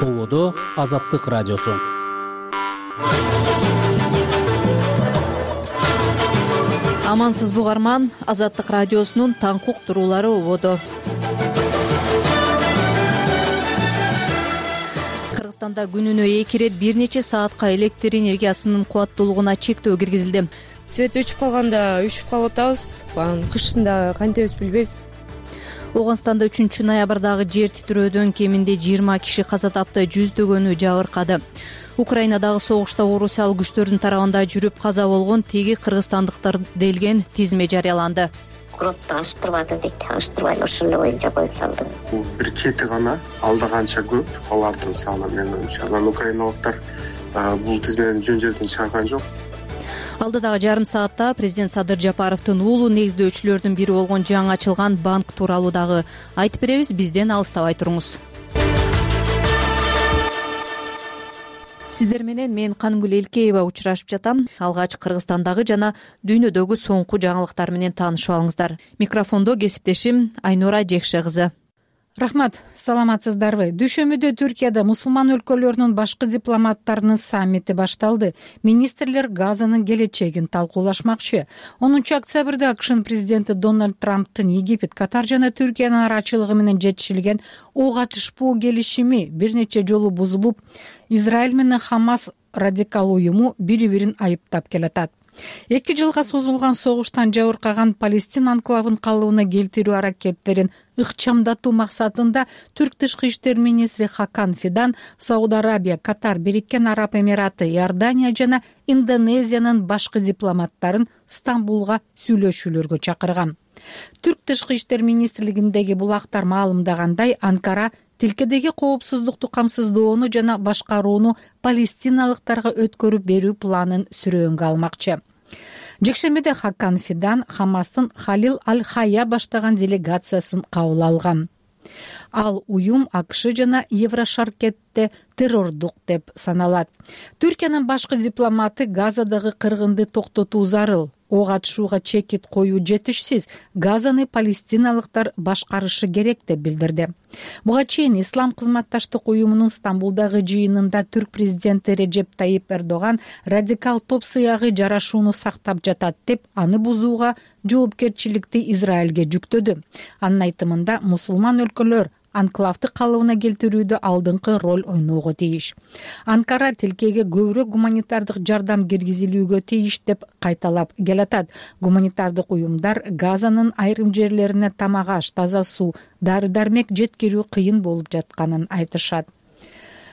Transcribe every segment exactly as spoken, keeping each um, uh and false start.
Ободо Азаттык радиосу. Амансыз бугарман, Азаттык радиосунун таң уктуруулары ободо. Кыргызстанда күнүнө эки ирет бир нече саатка электр энергиясынын кубаттуулугуна чектөө киргизилди. Свет өчүп калганда үшүп калып атабыз. Кышында кантебиз билбейбиз. Оогунстанда үчүнчү ноябрдагы жер титирөөдөн кеминде жыйырма киши каза тапты, жүздөгөнү жабыркады. Украинадагы согушта орусиялык күчтөрдүн тарабында жүрүп каза болгон теги кыргызстандыктар делген тизме жарыяланды. Гробду ачтырбады дейт, ачтырбай эле ошол эле боюнча коюп салды. Бул бир чети гана, алда канча көп алардын саны менин оюмча. Анан украиналыктар бул тизмеден жөн жерден чыгарган жок. Алдыдагы жарым саатта президент Садыр Жапаровдун уулу негиздөөчүлөрдүн бири болгон жаңы ачылган банк тууралуу дагы айтып беребиз. Бизден алыстабай туруңуз. Сиздер менен мен Канымгүл Элкеева учурашып жатам. Алгач Кыргызстандагы жана дүйнөдөгү соңку жаңылыктар менен таанышып алыңыздар. Микрофондо кесиптешим Айнура Жекше кызы. Рахмат, саламатсыздарбы? Дүйшөмбүдө Түркияда мусулман өлкөлөрүнүн башкы дипломаттарынын саммити башталды. Министрлер Газанын келечегин талкуулашмакчы. онунчу октябрда АКШнын президенти Дональд Трамптын Египет, Катар жана Түркиянын арачылыгы менен жетишилген ок атышпоо келишими бир нече жолу бузулуп, Израиль менен Хамас радикал уюму бири-бирин айыптап келатат. Эки жылга созулган согуштан жабыркаган Палестин анклавын калыбына келтирүү аракеттерин ыкчамдатуу максатында Түрк тышкы иштер министри Хакан Фидан Сауд Арабия, Катар, Бириккен Араб Эмираты, Иордания жана Индонезиянын башкы дипломаттарын Стамбулга сүйлөшүүлөргө чакырган. Түрк тышкы иштер министрлигиндеги булактар маалымдагандай, Анкара тилкедеги коопсуздукту камсыздоону жана башкарууну палестиналыктарга өткөрүп берүү планын сүрөөнгө алмакчы. Жекшембиде Хакан Фидан Хамастын Халил Аль-Хая баштаган делегациясын кабыл алган. Ал уюм АКШ жана Еврошаркетте террордук деп саналат. Түркиянын башкы дипломаты Газадагы кыргынды токтотуу зарыл. Ок атышууга чекит коюу жетишсиз. Газаны палестиналыктар башкарышы керек деп билдирди. Буга чейин Ислам кызматташтык уюмунун Стамбулдагы жыйынында түрк президенти Режеп Тайип Эрдоган радикал топ сыягы жарашууну сактап жатат деп, аны бузууга жоопкерчиликти Израилге жүктөдү. Анын айтымында мусулман өлкөлөр анклавды калыбына келтирүүдө алдыңкы роль ойноого тийиш. Анкара тилкеге көбүрөөк гуманитардык жардам киргизилүүгө тийиш деп кайталап келатат. Гуманитардык уюмдар Газанын айрым жерлерине тамак аш, таза суу, дары-дармек жеткирүү кыйын болуп жатканын айтышат.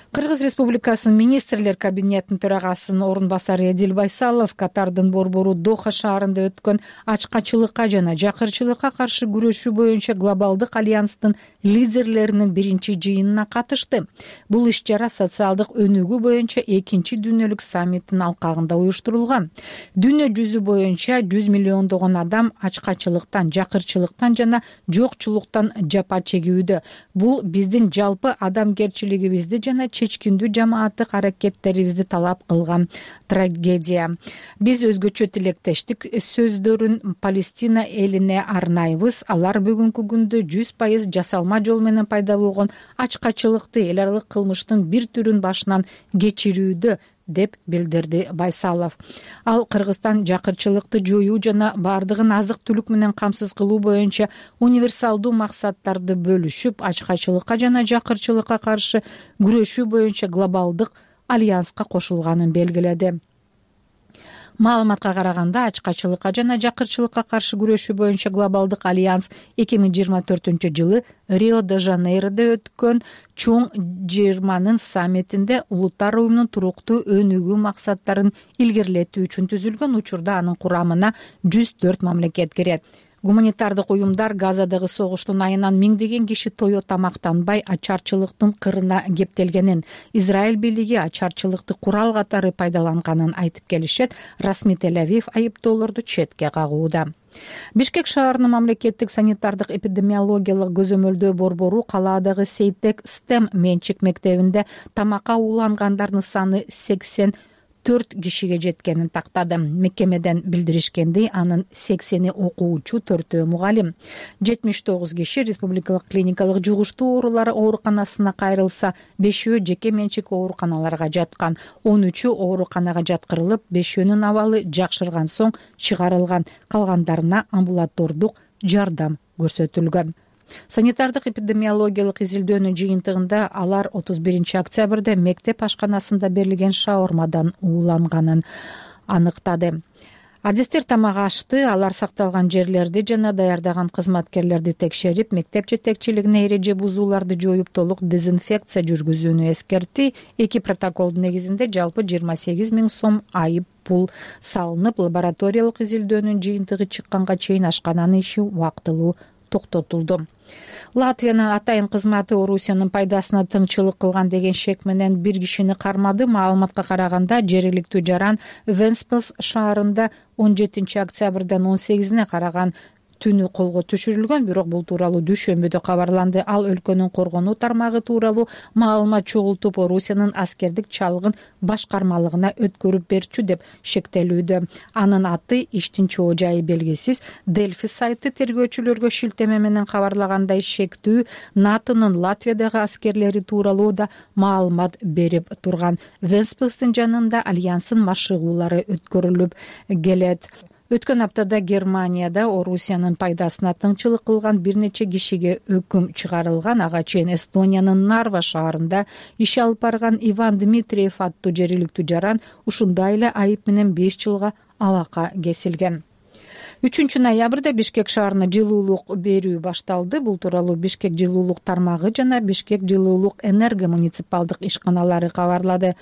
Кыргыз Республикасынын министрлер кабинетинин төрагасынын орун басары Эдил Байсалов Катардын борбору Доха шаарында өткөн ачкачылыкка жана жакырчылыкка каршы күрөшүү боюнча глобалдык альянстын лидерлеринин биринчи жыйынына катышты. Бул иш-чара социалдык өнүгүү боюнча экинчи дүйнөлүк саммиттин алкагында уюштурулган. Дүйнө жүзү боюнча жүз миллиондогон адам ачкачылыктан, жакырчылыктан жана жокчулуктан жапа чегүүдө. Бул биздин жалпы адамгерчилигибизди жана чечкиндүү жамааттык аракеттерибизди талап кылган трагедия. Биз өзгөчө тилектештик сөздөрүн Палестина элине арнайбыз. Алар бүгүнкү күндө жүз пайыз жасалма жол менен пайда болгон ачкачылыкты, эл аралык кылмыштын бир түрүн башынан кечирүүдө деп билдирди Байсалов. Ал Кыргызстан жакырчылыкты жоюу жана бардыгын азык-түлүк менен камсыз кылуу боюнча универсалдуу максаттарды бөлүшүп, ачкачылыкка жана жакырчылыкка каршы күрөшүү боюнча глобалдык альянска кошулганын белгиледи. Маалыматка караганда, ачкачылыкка жана жакырчылыкка каршы күрөшүү боюнча глобалдык альянс эки миң жыйырма төртүнчү жылы Рио-де-Жанейрода өткөн чоң жыйырманын саммитинде улуттар уюмунун туруктуу өнүгүү максаттарын илгерилетүү үчүн түзүлгөн. Учурда анын курамына жүз төрт мамлекет кирет. Гуманитардык уюмдар Газадагы согуштун айынан миңдеген киши тое тамактанбай ачарчылыктын кырына кептелгенин, Израиль бийлиги ачарчылыкты курал катары пайдаланганын айтып келишет. Расмий Тель-Авив айыптоолорду четке кагууда. Бишкек шаарынын мамлекеттик санитардык эпидемиологиялык көзөмөлдөө борбору калаадагы Сейтек Стем менчик мектебинде тамакка уулангандардын саны сексен төрт кишиге жеткенин тактады. Мекемеден билдиришкендей, анын сексени окуучу, төртөө мугалим. жетимиш тогуз киши республикалык клиникалык жугуштуу оорулар ооруканасына кайрылса, бешөө жеке менчик ооруканаларга жаткан. он үчү ооруканага жаткырылып, бешөөнүн абалы жакшырган соң чыгарылган. Калгандарына амбулатордук жардам көрсөтүлгөн. Санитардык эпидемиологиялык изилдөөнүн жыйынтыгында алар отуз биринчи октябрда мектеп ашканасында берилген шаурмадан ууланганын аныктады. Адистер тамак ашты, алар сакталган жерлерди жана даярдаган кызматкерлерди текшерип, мектеп жетекчилигине эреже бузууларды жоюп, толук дезинфекция жүргүзүүнү эскертти. Эки протоколдун негизинде жалпы жыйырма сегиз миң сом айып пул салынып, лабораториялык изилдөөнүн жыйынтыгы чыкканга чейин ашкананын иши убактылуу токтотулду. Латвиянын атайын кызматы Орусиянын пайдасына тыңчылык кылган деген шек менен бир кишини кармады. Маалыматка караганда, жергиликтүү жаран Вентспилс шаарында он жетинчи октябрдан он сегизине караган түнү колго түшүрүлгөн, бирок бул тууралуу дүйшөмбүдө кабарланды. Ал өлкөнүн коргонуу тармагы тууралуу маалымат чогултуп, Орусиянын аскердик чалгын башкармалыгына өткөрүп берчү деп шектелүүдө. Анын аты иштин чоо жайы белгисиз. Дельфи сайты тергөөчүлөргө шилтеме менен кабарлагандай, шектүү НАТОнун Латвиядагы аскерлери тууралуу да маалымат берип турган. Вентспилстин жанында альянстын машыгуулары өткөрүлүп келет. Өткөн аптада Германияда Орусиянын пайдасына тыңчылык кылган бир нече кишиге өкүм чыгарылган. Ага чейин Эстониянын Нарва шаарында иш алып барган Иван Дмитриев аттуу жергиликтүү жаран ушундай эле айып менен беш жылга абакка кесилген. үчүнчү ноябрда Бишкек шаарына жылуулук берүү башталды. Бул тууралуу Бишкек жылуулук тармагы жана Бишкек жылуулук энерго муниципалдык ишканалары кабарлады.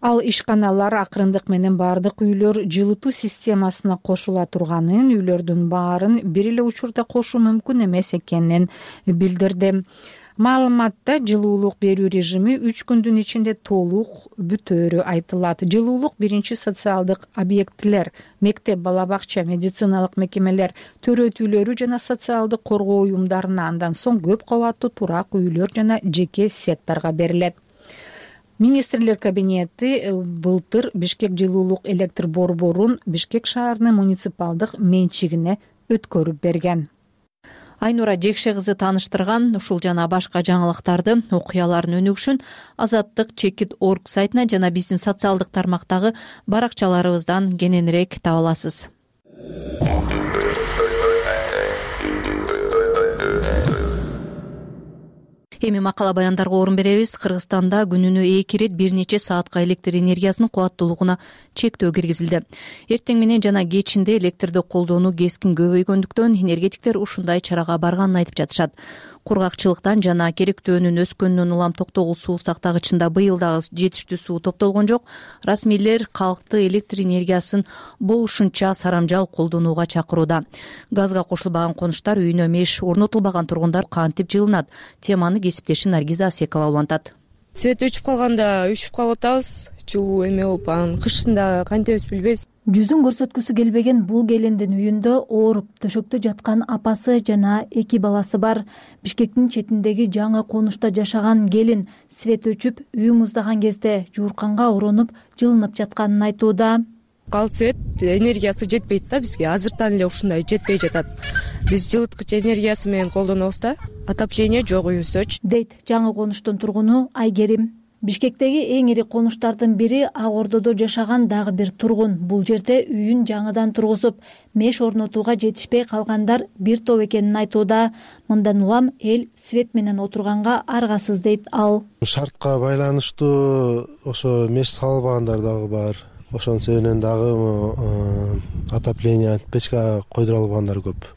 Ал ишканалар акырындык менен баардык үйлөр жылытуу системасына кошула турганын, үйлөрдүн баарын бир эле учурда кошуу мүмкүн эмес экенин билдирди. Маалыматта жылуулук берүү режими үч күндүн ичинде толук бүтөөрү айтылат. Жылуулук биринчи социалдык объектилер, мектеп, бала бакча, медициналык мекемелер, төрөт үйлөрү жана социалдык коргоо уюмдарына, андан соң көп кабаттуу турак үйлөр жана жеке секторго берилет. Министрлер кабинети былтыр Бишкек жылуулук электр борборун Бишкек шаарынын муниципалдык менчигине өткөрүп берген. Айнура Жекше кызы тааныштырган ушул жана башка жаңылыктарды, окуялардын өнүгүшүн Азаттык чекит точка орг сайтына жана биздин социалдык тармактагы баракчаларыбыздан кененирээк таба аласыз. Эми макала баяндарга орун беребиз. Кыргызстанда күнүнө эки ирет бир нече саатка электр энергиясынын кубаттуулугуна чектөө киргизилди. Эртең менен жана кечинде электрди колдонуу кескин көбөйгөндүктөн энергетиктер ушундай чарага барганын айтып жатышат. Кургакчылыктан жана керектөөнүн өскөнүнөн улам токтогул суу сактагычында быйыл дагы жетиштүү суу топтолгон жок. Расмийлер калкты электр энергиясын болушунча сарамжал колдонууга чакырууда. Газга кошулбаган конуштар, үйүнө меш орнотулбаган тургундар кантип жылынат? Теманы кесиптешим Наргиза Асекова улантат. Свет өчүп калганда өчүп калып атабыз. Жылуу эме болуп, анан кышында кантебиз билбейбиз. Жүзүн көрсөткүсү келбеген бул келиндин үйүндө ооруп төшөктө жаткан апасы жана эки баласы бар. Бишкектин четиндеги жаңы конушта жашаган келин свет өчүп, үй муздаган кезде жуурканга оронуп, жылынып жатканын айтууда. Кал свет энергиясы жетпейт да бизге. Азыртан эле ушундай жетпей жатат. Биз жылыткыч энергиясы менен колдонобуз да, отопление жок үйүбүздө, дейт жаңы конуштун тургуну Айгерим. Бишкектеги эң ири конуштардын бири Ак Ордодо жашаган дагы бир тургун. Бул жерде үйүн жаңыдан тургузуп, меш орнотууга жетишпей калгандар бир топ экенин айтууда. Мындан улам эл свет менен отурганга аргасыз дейт ал. Шартка байланыштуу ошо меш салбагандар дагы бар. Ошонун себебинен дагы отопление, печка койдура албагандар көп.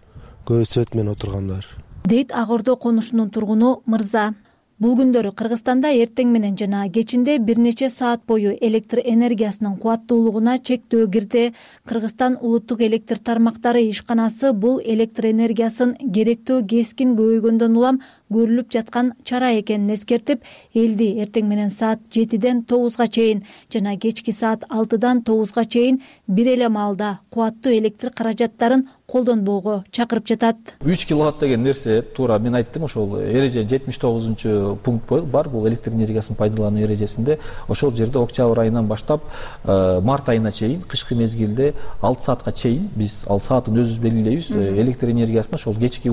Көбү свет менен отургандар, дейт Ак Ордо конушунун тургуну Мырза. Бул күндөрү Кыргызстанда эртең менен жана кечинде бир нече саат бою электр энергиясынын кубаттуулугуна чектөө кирди. Кыргызстан улуттук электр тармактары ишканасы бул электр энергиясын керектөө кескин көбөйгөндөн улам көрүлүп жаткан чара экенин эскертип, элди эртең менен саат жетиден тогузга чейин жана кечки саат алтыдан тогузга чейин бир эле маалда кубаттуу электр каражаттарын колдонбоого чакырып жатат. үч киловатт деген нерсе туура мен айттым, ошол эреже жетимиш тогузунчу пункт бар, бул электр энергиясын пайдалануу эрежесинде. Ошол жерде октябрь айынан баштап март айына чейин, кышкы мезгилде алты саатка чейин биз ал саатын өзүбүз белгилейбиз. Электр энергиясын ошол кечки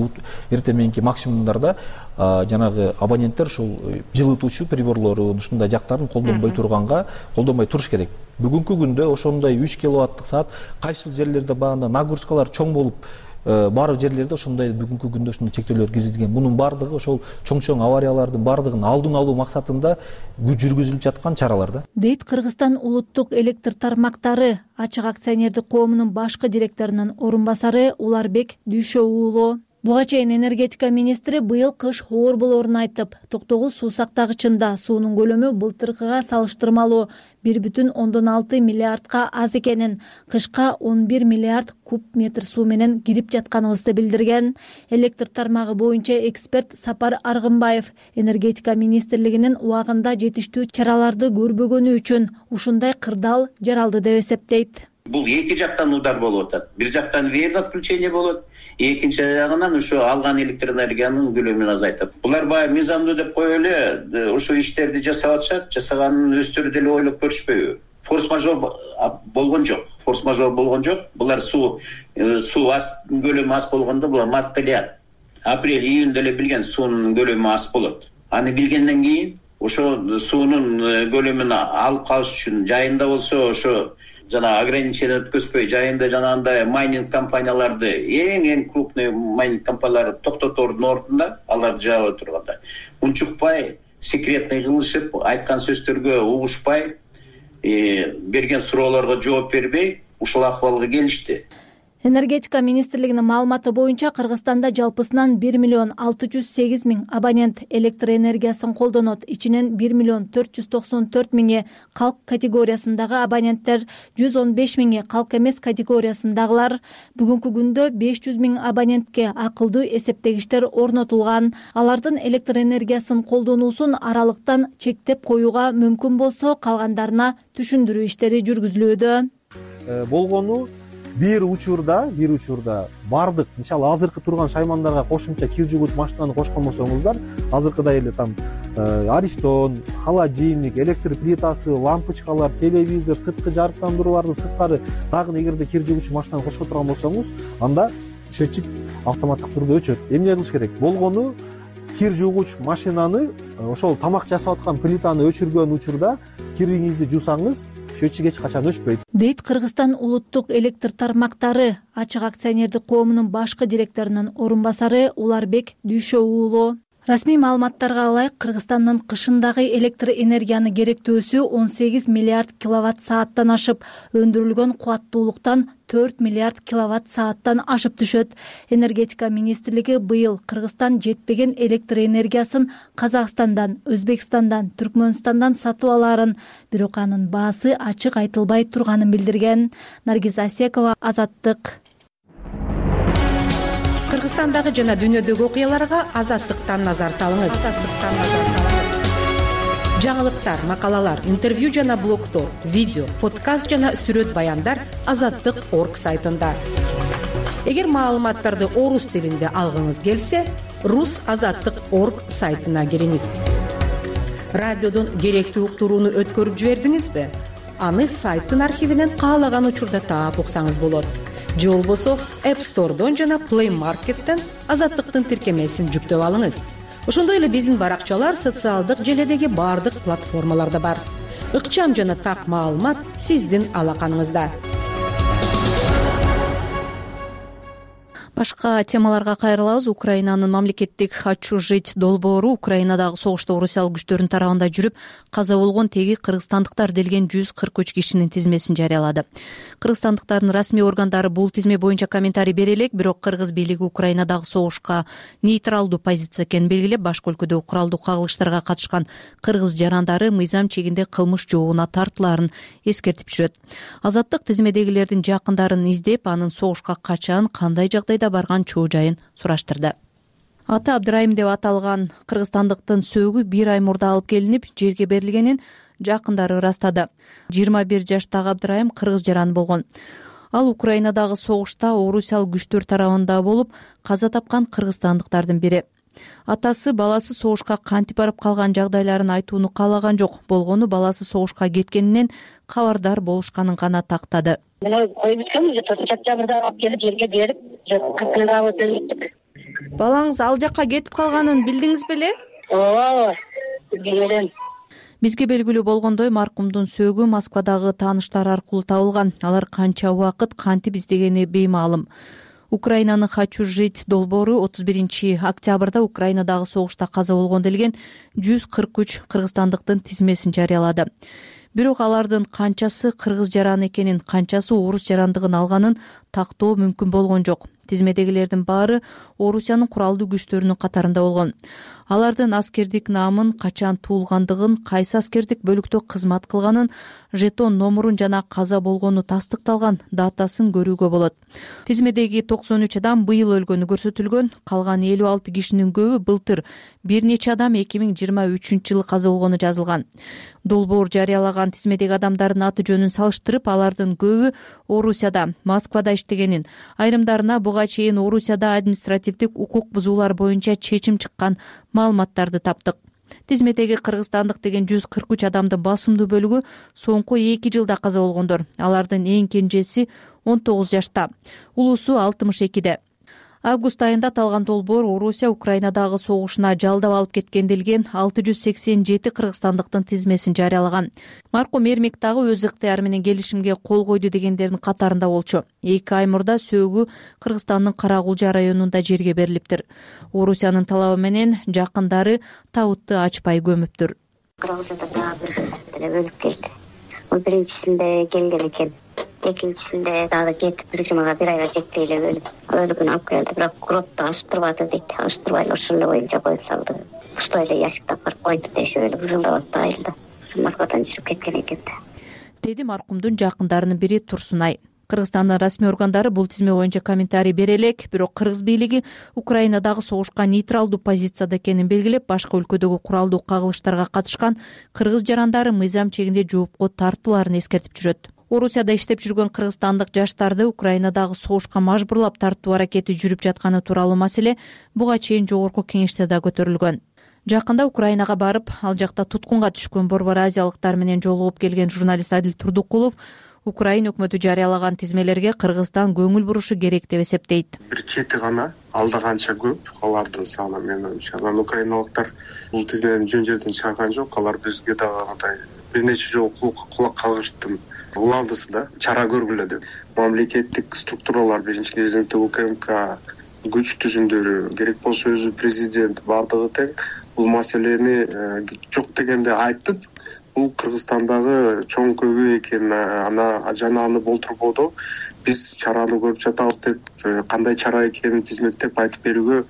эртең мененки максимумдарда жанагы абоненттер ушул жылытуучу приборлору ушундай жактарын колдонбой турганга колдонбой туруш керек. Бүгүнкү күндө ошондой үч киловаттык саат кайсыл жерлерде багында нагрузкалар чоң болуп, баары жерлерде ошондой бүгүнкү күндө ушундай чектөөлөр киргизилген. Мунун баардыгы ошол чоң-чоң авариялардын баардыгын алдын алуу максатында жүргүзүлүп жаткан чаралар да. Дейт Кыргызстан улуттук электр тармактары ачык акционердик коомунун башкы директорунун орун басары Уларбек Дүйшө уулу. Буга чейин энергетика министри быйыл кыш оор болоорун айтып, токтогуз суу сактагычында суунун көлөмү былтыркыга салыштырмалуу бир бүтүн ондон алты миллиардка аз экенин, кышка он бир миллиард куб метр суу менен кирип жатканыбызды билдирген. Электр тармагы боюнча эксперт Сапар Аргынбаев энергетика министрлигинин убагында жетиштүү чараларды көрбөгөнү үчүн ушундай кырдаал жаралды деп эсептейт. Бул эки жактан удар болуп атат. Бир жактан вредный отключение болот, экинчи жагынан ошо алган электр энергиянын көлөмүн азайтат. Булар баягы мыйзамдуу деп коюп эле ошо иштерди жасап атышат, жасаганын өздөрү деле ойлоп көрүшпөйбү? Форс-мажор болгон жок. Форс-мажор болгон жок. Булар суу суу аз көлөмү аз болгондо булар мартта, апрель, июнда эле билген суунун көлөмү аз болот. Аны билгенден кийин ошо суунун көлөмүн алып калыш үчүн жайында болсо ошо жана ограничение өткөзбөй жайында жанагындай майнинг компанияларды, эң эң крупный майнинг компанияларды токтотордун ордунда аларды жаап турганда унчукпай, секретный кылышып, айткан сөздөргө угушпай, берген суроолорго жооп бербей ушул акыбалга келишти. Энергетика министрлигинин маалыматы боюнча Кыргызстанда жалпысынан бир миллион алты жүз сегиз миң абонент электр энергиясын колдонот. Ичинен бир миллион төрт жүз токсон төрт миңи калк категориясындагы абоненттер, жүз он беш миңи калк эмес категориясындагылар. Бүгүнкү күндө беш жүз миң абонентке акылдуу эсептегичтер орнотулган. Алардын электр энергиясын колдонуусун аралыктан чектеп коюуга мүмкүн болсо, калгандарына түшүндүрүү иштери жүргүзүлүүдө. Болгону бир учурда, бир учурда бардык, мисалы азыркы турган шаймандарга кошумча кир жугуч машинаны кошкон болсоңуздар, азыркыдай эле там аристон, холодильник, электр плитасы, лампочкалар, телевизор, сырткы жарыктандыруулардын сырткары дагы эгерде кир жугуч машинаны кошко турган болсоңуз, анда счетчик автоматтык түрдө өчөт. Эмне кылыш керек? Болгону кир жугуч машинаны ошол тамак жасап аткан плитаны өчүргөн учурда кириңизди жуусаңыз, счетчик эч качан өчпөйт. Дейт Кыргызстан улуттук электр тармактары ачык акционердик коомунун башкы директорунун орун басары Уларбек Дүйшө уулу. Расмий маалыматтарга ылайык, Кыргызстандын кышындагы электр энергияны керектөөсү он сегиз миллиард киловатт сааттан ашып, өндүрүлгөн кубаттуулуктан төрт миллиард киловатт сааттан ашып түшөт. Энергетика министрлиги быйыл Кыргызстан жетпеген электр энергиясын Казакстандан, Өзбекстандан, Түркмөнстандан сатып аларын, бирок анын баасы ачык айтылбай турганын билдирген. Наргиз Асекова, Азаттык. Кыргызстандагы жана дүйнөдөгү окуяларга Азаттыктан назар салыңыз. Азаттыктан назар салыңыз. Жаңылыктар, макалалар, интервью жана блогтор, видео, подкаст жана сүрөт баяндар азаттык точка орг сайтында. Эгер маалыматтарды орус тилинде алгыңыз келсе, рус азаттык точка орг сайтына кириңиз. Радиодон керектүү уктурууну өткөрүп жибердиңизби? Аны сайттын архивинен каалаган учурда таап уксаңыз болот. Же болбосо App Store'дон жана Play Market'тен Азаттыктын тиркемесин жүктөп алыңыз. Ошондой эле биздин баракчалар социалдык желедеги баардык платформаларда бар. Ыкчам жана так маалымат сиздин алаканыңызда. Башка темаларга кайрылабыз. Украинанын мамлекеттик «Хочу-жить» долбоору Украинадагы согушта орусиялык күчтөрдүн тарабында жүрүп каза болгон теги кыргызстандыктар делген жүз кырк үч кишинин тизмесин жарыялады. Кыргызстандыктардын расмий органдары бул тизме боюнча комментарий бере элек, бирок кыргыз бийлиги Украинадагы согушка нейтралдуу позиция экенин белгилеп, башка өлкөдө куралдуу кагылыштарга катышкан кыргыз жарандары мыйзам чегинде кылмыш жообуна тартылаарын эскертип жүрөт. Азаттык тизмедегилердин жакындарын издеп, анын согушка качан, кандай жагдайда барган чоо жайын сураштырды. аты Абдырайым деп аталган кыргызстандыктын сөөгү бир ай мурда алып келинип жерге берилгенин жакындары ырастады. жыйырма бир жаштагы Абдырайым кыргыз жаран болгон. Ал Украинадагы согушта орусиялык күчтөр тарабында болуп каза тапкан кыргызстандыктардын бири. Атасы баласы согушка кантип барып калган жагдайларын айтууну каалаган жок, болгону баласы согушка кеткенинен кабардар болушканын гана тактады. Мына коюп өткөн уже сентябрда алып келип жерге берип, кыркылгабы. Балаңыз ал жакка кетип калганын билдиңиз беле? Ооба, билген. Бизге белгилүү болгондой, маркумдун сөөгү Москвадагы тааныштары аркылуу табылган. Алар канча убакыт кантип издегени беймаалым. Украинанын «Хочу жить» долбоору отуз биринчи октябрда Украинадагы согушта каза болгон делген жүз кырк үч кыргызстандыктын тизмесин жарыялады. Бирок алардын канчасы кыргыз жараны экенин, канчасы орус жарандыгын алганын тактоо мүмкүн болгон жок. Тизмедегилердин баары Орусиянын куралдуу күчтөрүнүн катарында болгон. Алардын аскердик наамын, качан туулгандыгын, кайсы аскердик бөлүктө кызмат кылганын, жетон номурун жана каза болгону тастыкталган датасын көрүүгө болот. Тизмедеги токсон үч адам быйыл өлгөнү көрсөтүлгөн, калган элүү алты кишинин көбү былтыр, бир нече адам эки миң жыйырма үчүнчү жылы каза болгону жазылган. Долбоор жарыялаган тизмедеги адамдардын аты жөнүн салыштырып, алардын көбү Орусияда, Москвада иштегенин, айрымдарына буга чейин Орусияда административдик укук бузуулар боюнча чечим чыккан маалыматтарды таптык. Тизмедеги кыргызстандык деген жүз кырк үч адамдын басымдуу бөлүгү соңку эки жылда каза болгондор. Алардын эң кенжеси он тогуз жашта, улуусу алтымыш экиде. Август айында аталган долбоор Орусия Украинадагы согушуна жалдап алып кеткен делген алты жүз сексен жети кыргызстандыктын тизмесин жарыялаган. Маркум Эрмек дагы өз ыктыяры менен келишимге кол койду дегендердин катарында болчу. эки ай мурда сөөгү Кыргызстандын Карагулжа районунда жерге берилиптир. Орусиянын талабы менен жакындары табытты ачпай көмүптүр. Карагулжада дагы бир өлүп келди. Ол биринчисинде келген экен. Экинчисинде дагы кетип бир жумага бир айга жетпей эле өлүп, өлүгүн алып келди, бирок гробду ачтырбады дейт. Ачтырбай эле ошол эле боюнча коюп салды. Пустой эле ящикте барып койду дешип эле кызылдап атты айылда. Москвадан жүрүп кеткен экен да. Деди маркумдун жакындарынын бири Турсунай. Кыргызстандын расмий органдары бул тизме боюнча комментарий бере элек, бирок кыргыз бийлиги Украинадагы согушка нейтралдуу позицияда экенин белгилеп, башка өлкөдөгү куралдуу кагылыштарга катышкан кыргыз жарандары мыйзам чегинде жоопко тартылаарын эскертип жүрөт. Орусияда иштеп жүргөн кыргызстандык жаштарды Украинадагы согушка мажбурлап тартуу аракети жүрүп жатканы тууралуу маселе буга чейин жогорку кеңеште да көтөрүлгөн. Жакында Украинага барып, ал жакта туткунга түшкөн борбор азиялыктар менен жолугуп келген журналист Адил Турдукулов Украин өкмөтү жарыялаган тизмелерге Кыргызстан көңүл бурушу керек деп эсептейт. Бир чети гана, алда канча көп, алардын саны менин оюмча. Анан украиналыктар бул тизмени жөн жерден чыгарган жок, алар бизге дагы мындай бир нече жолу кулак кагыштын уландысы да, чара көргүлө деп. Мамлекеттик структуралар, биринчи кезекте УКМК күч түзүмдөрү, керек болсо өзү президент бардыгы тең бул маселени жок дегенде айтып, бул Кыргызстандагы чоң көбү экенин, ана жана аны болтурбоду биз чараны көрүп жатабыз деп, кандай чара экенин тизмектеп айтып берүүгө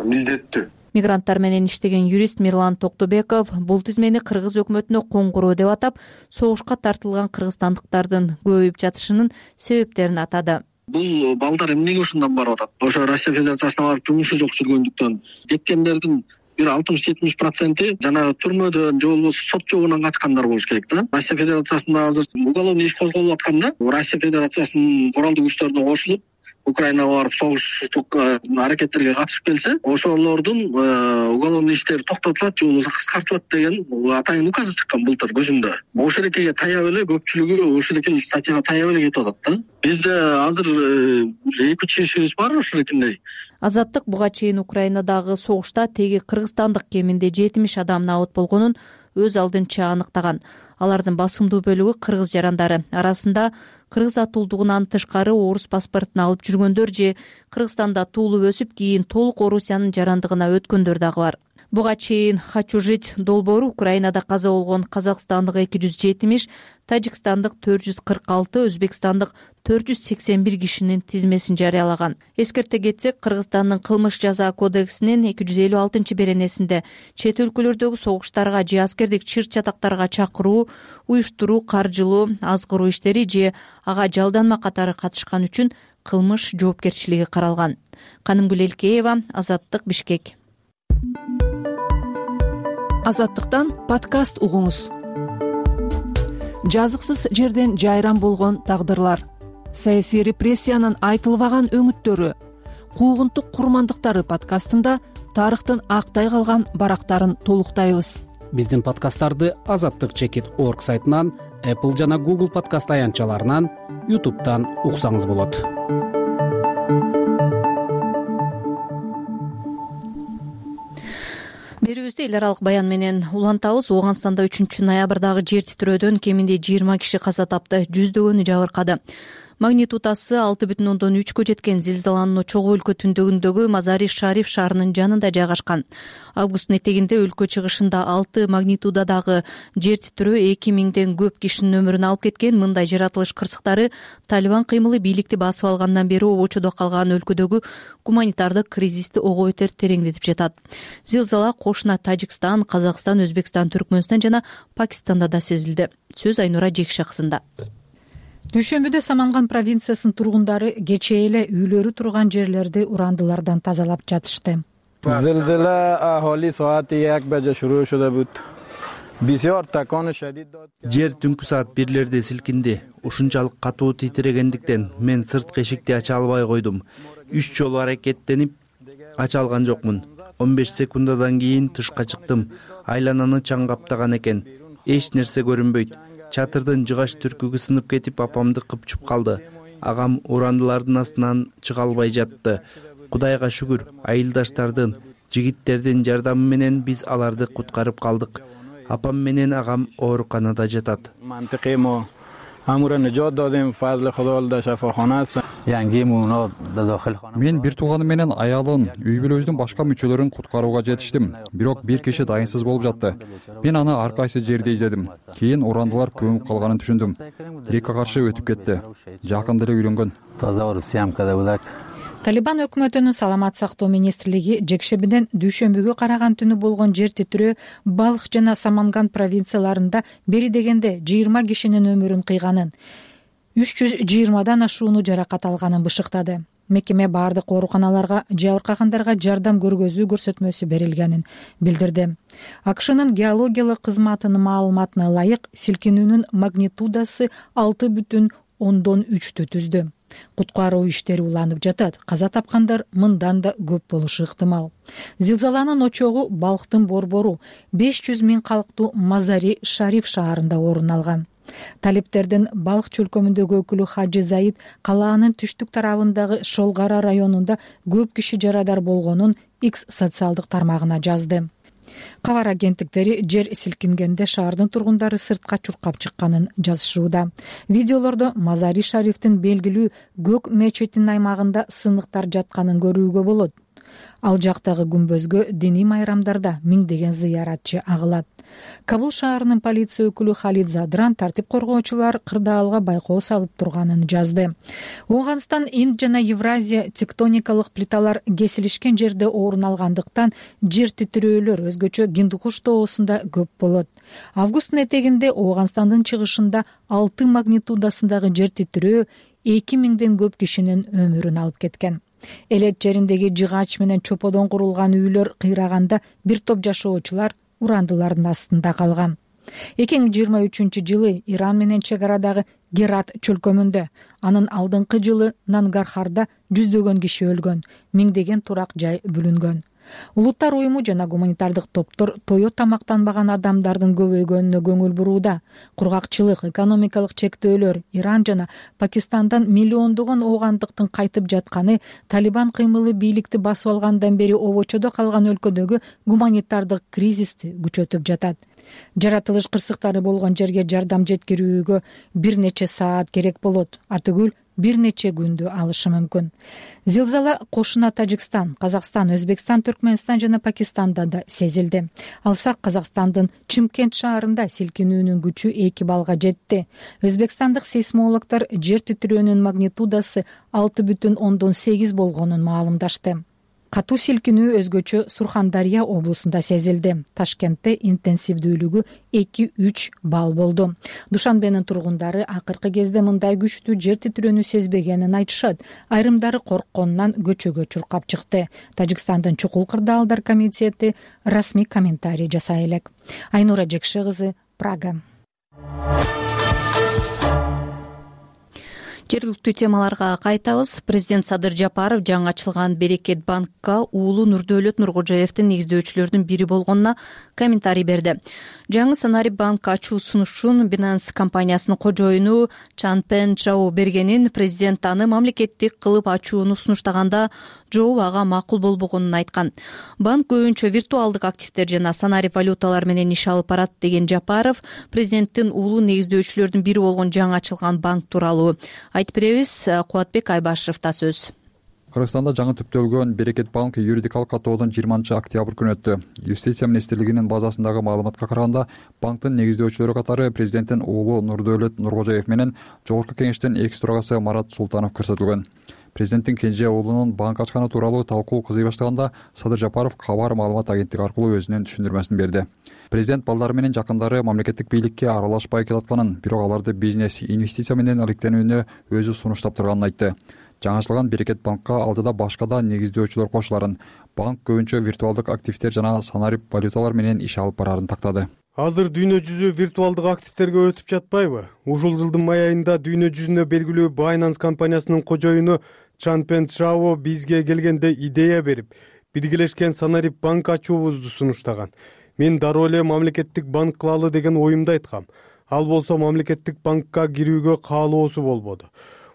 милдеттүү. Мигранттар менен иштеген юрист Мирлан Токтобеков бул тизмени кыргыз өкмөтүнө коңгуроо деп атап, согушка тартылган кыргызстандыктардын көбөйүп жатышынын себептерин атады. Бул балдар эмнеге ушундан барып атат? Ошо Россия Федерациясына барып жумушу жок жүргөндүктөн кеткендердин бир алтымыш жетимиш проценти жанагы түрмөдөн же болбосо сот жобунан качкандар болуш керек да. Россия Федерациясында азыр уголовный иш козголуп атканда, Россия Федерациясынын куралдуу күчтөрүнө кошулуп Украинага барып согуштук аракеттерге катышып келсе, ошолордун уголовный иштери токтотулат же болбосо кыскартылат деген атайын указы чыккан былтыр көзүмдө. Ошол экеге таяп эле көпчүлүгү ошол эки статьяга таяп эле кетип атат да. Бизде азыр эки үч ишибиз бар ошол экиндей. Азаттык буга чейин Украинадагы согушта теги кыргызстандык кеминде жетимиш адам набыт болгонун өз алдынча аныктаган. Алардын басымдуу бөлүгү кыргыз жарандары. Арасында кыргыз атуулдугунан тышкары орус паспортун алып жүргөндөр же Кыргызстанда туулуп өсүп, кийин толук Орусиянын жарандыгына өткөндөр дагы бар. Буга чейин «Хочу жить» долбоору Украинада каза болгон казакстандык эки жүз жетимиш, тажикстандык төрт жүз кырк алты, өзбекстандык төрт жүз сексен бир кишинин тизмесин жарыялаган. Эскерте кетсек, Кыргызстандын кылмыш жаза кодексинин эки жүз элүү алтынчы беренесинде чет өлкөлөрдөгү согуштарга же аскердик чыр-чатактарга чакыруу, уюштуруу, каржылоо, азгыруу иштери же ага жалданма катары катышкан үчүн кылмыш жоопкерчилиги каралган. Канымгүл Элкеева, Азаттык, Бишкек. Азаттыктан подкаст угуңуз. Жазыксыз жерден жайран болгон тагдырлар, саясий репрессиянын айтылбаган өңүттөрү, куугунтук курмандыктары подкастында тарыхтын актай калган барактарын толуктайбыз. Биздин подкасттарды азаттык чекит точка орг сайтынан, Apple жана Google подкаст аянтчаларынан, YouTube'дан уксаңыз болот. Берүүбүздү эл аралык баян менен улантабыз. Ооганстанда үчүнчү ноябрдагы жер титирөөдөн кеминде жыйырма киши каза тапты, жүздөгөнү жабыркады. Магнитудасы алты бүтүн ондон үчкө жеткен зилзаланын очогу өлкө түндүгүндөгү Мазари Шариф шаарынын жанында жайгашкан. Августтун этегинде өлкө чыгышында алты магнитудадагы жер титирөө эки миңден көп кишинин өмүрүн алып кеткен. Мындай жаратылыш кырсыктары Талибан кыймылы бийликти басып алгандан бери обочодо калган өлкөдөгү гуманитардык кризисти ого бетер тереңдетип жатат. Зилзала кошуна Тажикстан, Казакстан, Өзбекстан, Түркмөнстан жана Пакистанда да сезилди. Сөз Айнура Жекше кызында. Дүйшөмбүдө Саманган провинциясынын тургундары кечээ эле үйлөрү турган жерлерди урандылардан тазалап жатышты. Зилзила ахоли саати як баже шуруу шуда буд. Бисёр такону шадид дод. Жер түнкү саат бирлерде силкинди. Ушунчалык катуу титирегендиктен мен сырткы эшикти ача албай койдум. Үч жолу аракеттенип ача алган жокмун. он беш секундадан кийин тышка чыктым. Айлананы чаң каптаган экен. Эч нерсе көрүнбөйт. Чатырдын жыгач түркүгү сынып кетип, апамды кыпчуп калды. Агам урандылардын астынан чыга албай жатты. Кудайга шүгүр, айылдаштардын, жигиттердин жардамы менен биз аларды куткарып калдык. Апам менен агам ооруканада жатат. Мен бир тууганым менен аялын, үй бүлөбүздүн башка мүчөлөрүн куткарууга жетиштим. Бирок бир киши дайынсыз болуп жатты. Мен аны ар кайсы жерде издедим. Кийин урандылар көмүп калганын түшүндүм. Тирекке каршы өтүп кетти. Жакында эле үйлөнгөн. Талибан өкмөтүнүн саламат сактоо министрлиги жекшембиден дүйшөмбүгө караган түнү болгон жер титирөө Балх жана Саманган провинцияларында бери дегенде жыйырма кишинин өмүрүн кыйганын, үч жүз жыйырмадан ашууну жаракат алганын бышыктады. Мекеме баардык ооруканаларга жабыркагандарга жардам көргөзүү көрсөтмөсү берилгенин билдирди. АКШнын геологиялык кызматынын маалыматына ылайык, силкинүүнүн магнитудасы алты бүтүн ондон үчтү түздү. Куткаруу иштери уланып жатат. Каза тапкандар мындан да көп болушу ыктымал. Зилзаланын очогу Балхтын борбору беш жүз миң калктуу Мазари Шариф шаарында орун алган. Талиптердин Балх чөлкөмүндөгү өкүлү Хаджи Заид калаанын түштүк тарабындагы Шолгара районунда көп киши жарадар болгонун X социалдык тармагына жазды. Кабар агенттиктери жер силкингенде шаардын тургундары сыртка чуркап чыкканын жазышууда. Видеолордо Мазари Шарифтин белгилүү Көк мечитинин аймагында сыныктар жатканын көрүүгө болот. Ал жактагы күмбөзгө диний майрамдарда миңдеген зыяратчы агылат. Кабул шаарынын полиция өкүлү Халид Задран тартип коргоочулар кырдаалга байкоо салып турганын жазды. Ооганстан, Инд жана Евразия тектоникалык плиталар кесилишкен жерде орун алгандыктан жер титирөөлөр өзгөчө Гиндукуш тоосунда көп болот. Августтун этегинде Ооганстандын чыгышында алты магнитудасындагы жер титирөө эки миңден көп кишинин өмүрүн алып кеткен. Элет жериндеги жыгач менен чоподон курулган үйлөр кыйраганда бир топ жашоочулар урандылардын астында калган. эки миң жыйырма үчүнчү жылы Иран менен чек арадагы Герат чөлкөмүндө, анын алдыңкы жылы Нангархарда жүздөгөн киши өлгөн, миңдеген турак жай бүлүнгөн. Улуттар уюму жана гуманитардык топтор тою тамактанбаган адамдардын көбөйгөнүнө көңүл бурууда. Кургакчылык, экономикалык чектөөлөр, Иран жана Пакистандан миллиондогон оогандыктын кайтып жатканы Талибан кыймылы бийликти басып алгандан бери обочодо калган өлкөдөгү гуманитардык кризисти күчөтүп жатат. Жаратылыш кырсыктары болгон жерге жардам жеткирүүгө бир нече саат керек болот, атүгүл бир нече күндү алышы мүмкүн. Зилзала кошуна Тажикстан, Казакстан, Өзбекстан, Түркмөнстан жана Пакистанда да сезилди. Алсак Казакстандын Чымкент шаарында силкинүүнүн күчү эки балга жетти. Өзбекстандык сейсмологдор жер титирөөнүн магнитудасы алты бүтүн ондон сегиз болгонун маалымдашты. катуу силкинүү өзгөчө Сурхандария облусунда сезилди. Ташкентте интенсивдүүлүгү эки үч балл болду. Душанбенин тургундары акыркы кезде мындай күчтүү жер титирөөнү сезбегенин айтышат. Айрымдары коркконунан көчөгө чуркап чыкты. Тажикстандын чукул кырдаалдар комитети расмий комментарий жасай элек. Айнура Жекши кызы, Прага. Жергиликтүү темаларга кайтабыз. Президент Садыр Жапаров жаңы ачылган Берекет банкка уулу Нурдөөлөт Нуркожоевдин негиздөөчүлөрдүн бири болгонуна комментарий берди. Жаңы Санарип банк ачуу сунушун Binance компаниясынын кожоюну Чан Пен Чжао бергенин президент аны мамлекеттик кылып ачууну сунуштаганда Чжоу ага макул болбогонун айткан. Банк көбүнчө виртуалдык активдер жана санарип валюталар менен иш алып барат деген Жапаров президенттин уулу негиздөөчүлөрдүн бири болгон жаңы ачылган банк тууралуу айтып беребиз. Кубатбек Айбашевда сөз. Кыргызстанда жаңы түптөлгөн Берекет банк юридикалык каттоодон жыйырманчы октябрь күнү өттү. Юстиция министрлигинин базасындагы маалыматка караганда, банктын негиздөөчүлөрү катары президенттин уулу Нурдөөлөт Нуркожоев менен Жогорку кеңештин экс төрагасы Марат Султанов көрсөтүлгөн. Президенттин кенже уулунун банк ачканы тууралуу талкуу кызый баштаганда Садыр Жапаров Кабар маалымат агенттиги аркылуу өзүнүн түшүндүрмөсүн берди. Президент балдары менен жакындары мамлекеттик бийликке аралашпай келатканын, бирок аларды бизнес, инвестиция менен иликтенүүнү өзү сунуштап турганын айтты. Жаңычылган Берекет банкка алдыда башка да негиздөөчүлөр кошуларын, банк көбүнчө виртуалдык активдер жана санарип валюталар менен иш алып барарын тактады. Азыр дүйнө жүзү виртуалдык активдерге өтүп жатпайбы? Ушул жылдын май айында дүйнө жүзүнө белгилүү Binance компаниясынын кожоюну Чан Пен Чжао бизге келгенде идея берип, биргелешкен санарип банк ачуубузду сунуштаган. Мен дароо эле мамлекеттик банк кылалы деген оюмду айткам. Ал болсо мамлекеттик банкка кирүүгө каалоосу болбоду.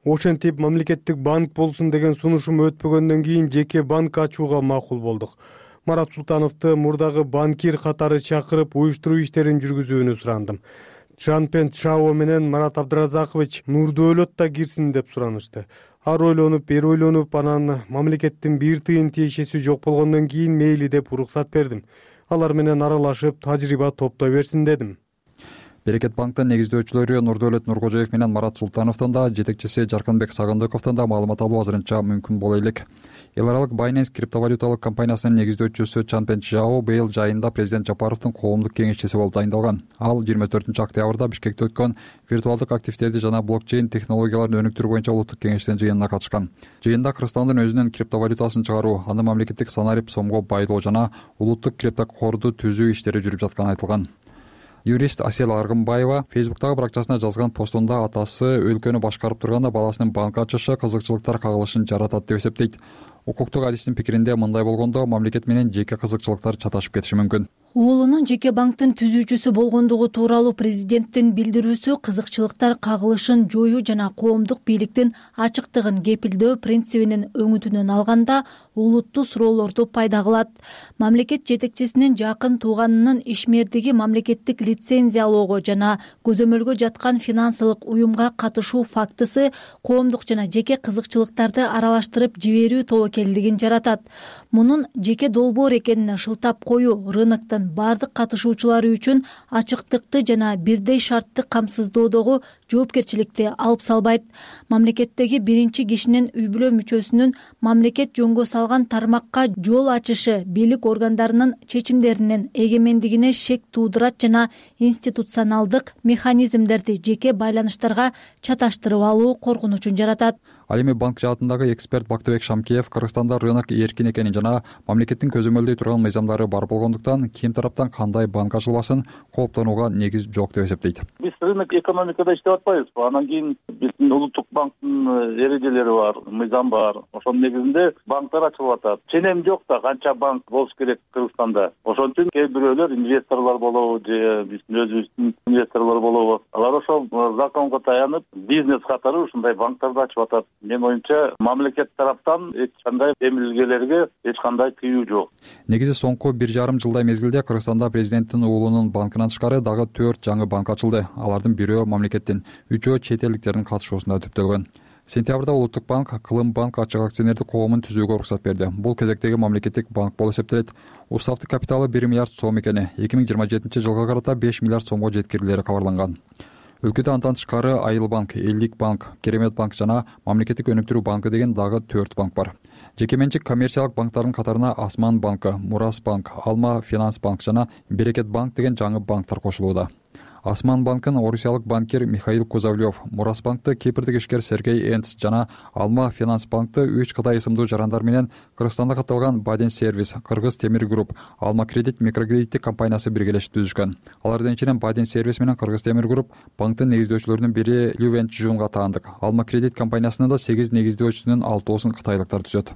Ошентип мамлекеттик банк болсун деген сунушум өтпөгөндөн кийин жеке банк ачууга макул болдук. Марат Султановду мурдагы банкир катары чакырып уюштуруу иштерин жүргүзүүнү сурандым. Чан Пен Чжао менен Марат Абдыразакович Нурдөөлөт да кирсин деп суранышты. Ар ойлонуп, бери ойлонуп, анан мамлекеттин бир тыйын тиешеси жок болгондон кийин мейли деп уруксат бердим. Алар менен аралашып, тажрыйба топтой берсин дедим. Берекет банктын негиздөөчүлөрү Нурдөөлөт Нуркожоев менен Марат Султановдун да, жетекчиси Жаркынбек Сагындыковдун да маалымат алуу азырынча мүмкүн боло элек. Эл аралык Binance криптовалюталык компаниясынын негиздөөчүсү Чан Пен Чжао быйыл жайында президент Жапаровдун коомдук кеңешчиси болуп дайындалган. Ал жыйырма төртүнчү октябрда Бишкекте өткөн виртуалдык активдерди жана блокчейн технологияларын өнүктүрүү боюнча улуттук кеңештин жыйынына катышкан. Жыйында Кыргызстандын өзүнүн криптовалютасын чыгаруу, аны мамлекеттик санарип сомго байлоо жана улуттук криптокорду түзүү иштери жүрүп жатканы айтылган. Юрист Асел Аргымбаева Фейсбуктагы баракчасына жазган постунда атасы өлкөнү башкарып турганда баласынын банк ачышы кызыкчылыктар кагылышын жаратат деп эсептейт. Укуктук адистин пикиринде мындай болгондо мамлекет менен жеке кызыкчылыктар чаташып кетиши мүмкүн. Уулунун жеке банктын түзүүчүсү болгондугу тууралуу президенттин билдирүүсү кызыкчылыктар кагылышын жоюу жана коомдук бийликтин ачыктыгын кепилдөө принцибинин өңүтүнөн алганда улуттуу суроолорду пайда кылат. Мамлекет жетекчисинин жакын тууганынын ишмердиги мамлекеттик лицензиялоого жана көзөмөлгө жаткан финансылык уюмга катышуу фактысы коомдук жана жеке кызыкчылыктарды аралаштырып жиберүү тобокелдигин жаратат. Мунун жеке долбоор экенине шылтап коюу рыноктун бардык катышуучулары үчүн ачыктыкты жана бирдей шартты камсыздоодогу жоопкерчиликти алып салбайт. Мамлекеттеги биринчи кишинин үй бүлө мүчөсүнүн мамлекет жөнгө салган тармакка жол ачышы бийлик органдарынын чечимдеринин эгемендигине шек туудурат жана институционалдык механизмдерди жеке байланыштарга чаташтырып алуу коркунучун жаратат. Ал эми банк жаатындагы эксперт Бактыбек Шамкеев Кыргызстанда рынок эркин экенин жана мамлекеттин көзөмөлдөй турган мыйзамдары бар болгондуктан ким тараптан кандай банк ачылбасын кооптонууга негиз жок деп эсептейт. Биз рынок экономикада иштеп атпайбызбы? Анан кийин биздин улуттук банктын эрежелери бар, мыйзам бар. Ошонун негизинде банктар ачылып атат. Ченем жок да канча банк болуш керек Кыргызстанда. Ошон үчүн кээ бирөөлөр инвесторлор болобу же биздин өзүбүздүн инвесторлор болобу, алар ошол законго таянып бизнес катары ушундай банктарды ачып атат. Мен оюмча мамлекет тараптан эч кандай эмилгелерге эч кандай тыюу жок. Негизи соңку бир жарым жылдай мезгилде Кыргызстанда президенттин уулунун банкынан тышкары дагы төрт жаңы банк ачылды. Алардын бирөө мамлекеттин, үчөө чет элдиктердин катышуусунда түптөлгөн. Сентябрда Улуттук банк Кылым банк ачык акционердик коомун түзүүгө уруксат берди. Бул кезектеги мамлекеттик банк болуп эсептелет. Уставдык капиталы бир миллиард сом экени, эки миң жыйырма жетинчи жылга карата беш миллиард сомго жеткирилери кабарланган. өлкөдө андан тышкары Айыл банк, Элдик банк, Керемет банк жана Мамлекеттик өнүктүрүү банкы деген дагы төрт банк бар. Жеке менчик коммерциялык банктардын катарына Асман банкы, Мурас банк, Алма Финанс банк жана Берекет банк деген жаңы банктар кошулууда. Асман банкын орусиялык банкир Михаил Кузовлев, Мурас банкты кипрдик ишкер Сергей Энц жана Алма Финанс банкты үч Кытай ысымдуу жарандар менен Кыргызстанда катталган Баден сервис, Кыргыз темир групп, Алма кредит микрокредиттик компаниясы биргелешип түзүшкөн. Алардын ичинен Баден сервис менен Кыргыз темир групп банктын негиздөөчүлөрүнүн бири Лювен Чжунга таандык. Алма кредит компаниясынын да сегиз негиздөөчүсүнүн алтоосун кытайлыктар түзөт.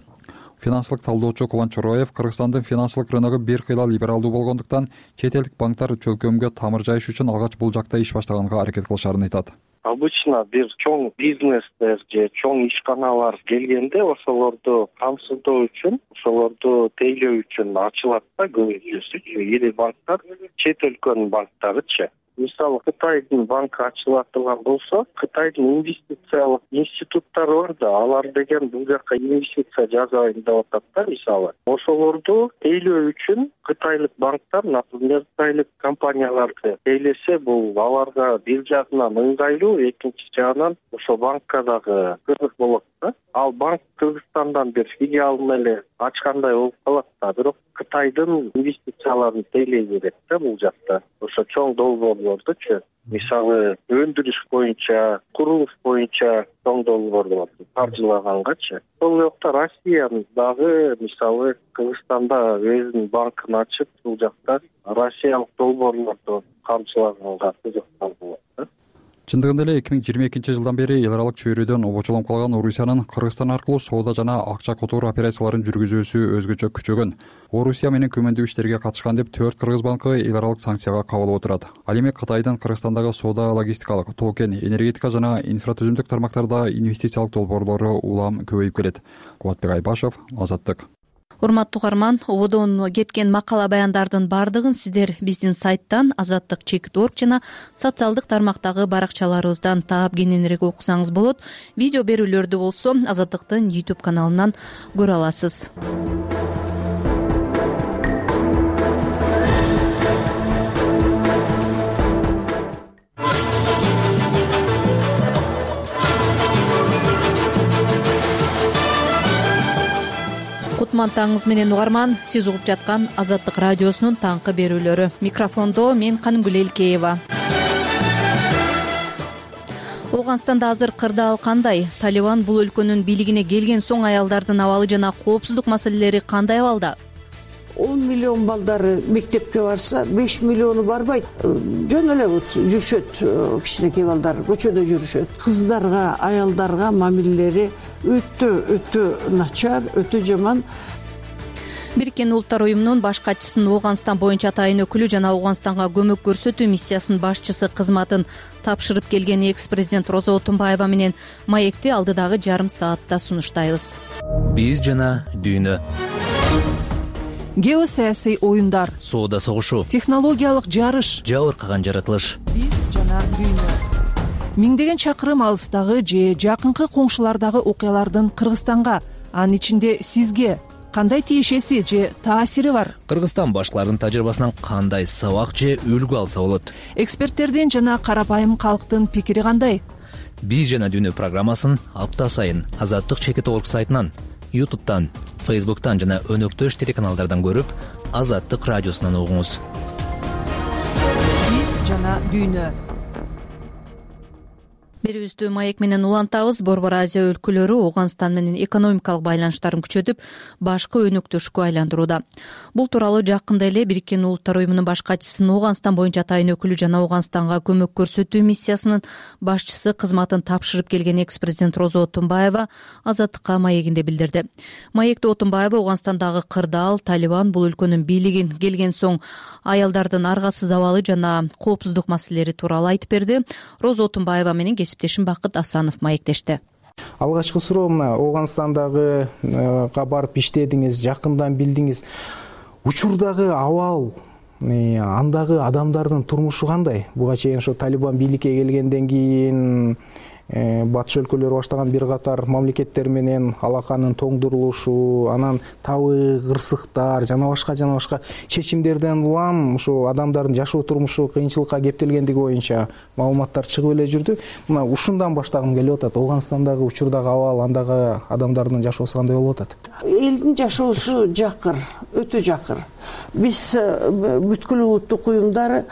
Финансылык талдоочу Кубан Чороев Кыргызстандын финансылык рыногу бир кыйла либералдуу болгондуктан чет элдик банктар чөлкөмгө тамыр жайыш үчүн алгач бул жакта иш баштаганга аракет кылышарын айтат. Обычно бир чоң бизнестер же чоң ишканалар келгенде ошолорду камсыздоо үчүн, ошолорду тейлөө үчүн ачылат да көбүнчөсү ири банктар, чет өлкөнүн банктарычы. Мисалы Кытайдын банкы ачыла турган болсо, Кытайдын инвестициялык институттары бар да, алар деген бул жака инвестиция жасайын деп атат да, мисалы. Ошолорду тейлөө үчүн кытайлык банктар, например, кытайлык компанияларды тейлесе, бул аларга бир жагынан ыңгайлуу, экинчи жагынан ошо банкка дагы кызык болот да. Ал банк Кыргызстандан бир филиалын эле ачкандай болуп калат да, бирок Кытайдын инвестицияларын тейлей берет да бул жакта. Ошо чоң долбоорлордучу, мисалы өндүрүш боюнча, курулуш боюнча чоң долбоор болот, каржылагангачы. Ошол жакта Россиянын дагы мисалы Кыргызстанда өзүнүн банкын ачып, бул жакта россиялык долбоорлорду каржылаганга кызыккан болот да. Чындыгында эле эки миң жыйырма экинчи жылдан бери эл аралык чөйрөдөн обочолоп калган Орусиянын Кыргызстан аркылуу соода жана акча которуу операцияларын жүргүзүүсү өзгөчө күчөгөн. Орусия менен күмөндүү иштерге катышкан деп төрт кыргыз банкы эл аралык санкцияга кабыл отурат. Ал эми Кытайдын Кыргызстандагы соода, логистикалык, токен, энергетика жана инфратүзүмдүк тармактарда инвестициялык долбоорлору улам көбөйүп келет. Кубатбек Айбашев, Азаттык. Урматтуу угарман, ободон кеткен макала баяндардын бардыгын сиздер биздин сайттан азаттык чекит точка орг жана социалдык тармактагы баракчаларыбыздан таап кененирээк окусаңыз болот. Видео берүүлөрдү болсо Азаттыктын YouTube каналынан көрө аласыз. Кутман таңыңыз менен угарман, сиз угуп жаткан Азаттык радиосунун таңкы берүүлөрү. Микрофондо мен Канымгүл Элкеева. Ооганстанда азыр кырдаал кандай? Талибан бул өлкөнүн бийлигине келген соң аялдардын абалы жана коопсуздук маселелери кандай абалда? он миллион балдары мектепке барса, беш миллиону барбайт. Жөн эле жүрүшөт, кичинекей балдар көчөдө жүрүшөт. Кыздарга, аялдарга мамилелери өтө өтө начар, өтө жаман. Бириккен Улуттар уюмунун баш катчысынын Ооганстан боюнча атайын өкүлү жана Ооганстанга көмөк көрсөтүү миссиясынын башчысы кызматын тапшырып келген экс-президент Розо Отунбаева менен маекти алдыдагы жарым саатта сунуштайбыз. Биз жана дүйнө. Геосаясий оюндар, соода согушу, технологиялык жарыш, жабыркаган жаратылыш. Биз жана дүйнө. Миңдеген чакырым алыстагы же жакынкы коңшулардагы окуялардын Кыргызстанга, анын ичинде сизге кандай тиешеси же таасири бар? Кыргызстан башкалардын тажрыйбасынан кандай сабак же үлгү алса болот? Эксперттердин жана карапайым калктын пикири кандай? Биз жана дүйнө программасын апта сайын Азаттык чекит точка орг сайтынан, YouTube'тан, Facebook'тан жана өнөктөш телеканалдардан көрүп, Азаттык радиосунан угуңуз. Биз жана дүйнө. Берүүбүздү маек менен улантабыз. Борбор Азия өлкөлөрү Ооганстан менен экономикалык байланыштарын күчөтүп, башкы өнөктөшкө айландырууда. Бул тууралуу жакында эле Бириккен Улуттар уюмунун баш катчысынын Ооганстан боюнча атайын өкүлү жана Ооганстанга көмөк көрсөтүү миссиясынын башчысы кызматын тапшырып келген экс-президент Розо Отунбаева Азаттыкка маегинде билдирди. Маекте Отунбаева Ооганстандагы кырдаал, Талибан бул өлкөнүн бийлигин келген соң аялдардын аргасыз абалы жана коопсуздук маселелери тууралуу айтып берди. Розо Отунбаева менен кесиптешим Бакыт Асанов маектешти. Алгачкы суроо мына Ооганстандагы барып иштедиңиз, жакындан билдиңиз. Учурдагы абал, андагы адамдардын турмушу кандай? Буга чейин ошо Талибан бийликке келгенден кийин батыш өлкөлөрү баштаган бир катар мамлекеттер менен алаканын тоңдурулушу, анан табы кырсыктар жана башка жана башка чечимдерден улам ушу адамдардын жашоо турмушу кыйынчылыкка кептелгендиги боюнча маалыматтар чыгып эле жүрдү. Мына ушундан баштагым келип атат. Оганстандагы учурдагы абал, андагы адамдардын жашоосу кандай болуп атат? Элдин жашоосу жакыр, өтө жакыр. Биз бүткүл улуттук уюмдар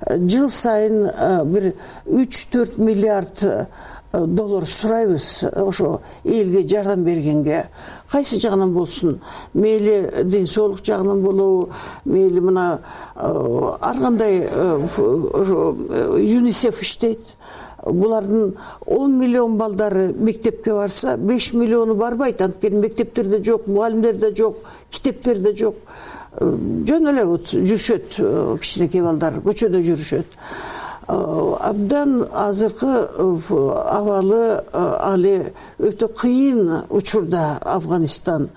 жыл сайын бир үч төрт миллиард доллар сурайбыз ошо элге жардам бергенге. Кайсы жагынан болсун, мейли ден соолук жагынан болобу, мейли мына ар кандай ЮНИСЕФ иштейт. Булардын он миллион балдары мектепке барса, беш миллиону барбайт. Анткени мектептерде жок, мугалимдер да жок, китептер да жок. Жөн эле вот жүрүшөт, кичинекей балдар көчөдө жүрүшөт. Абдан азыркы абалы али өтө кыйын учурда Афганистан.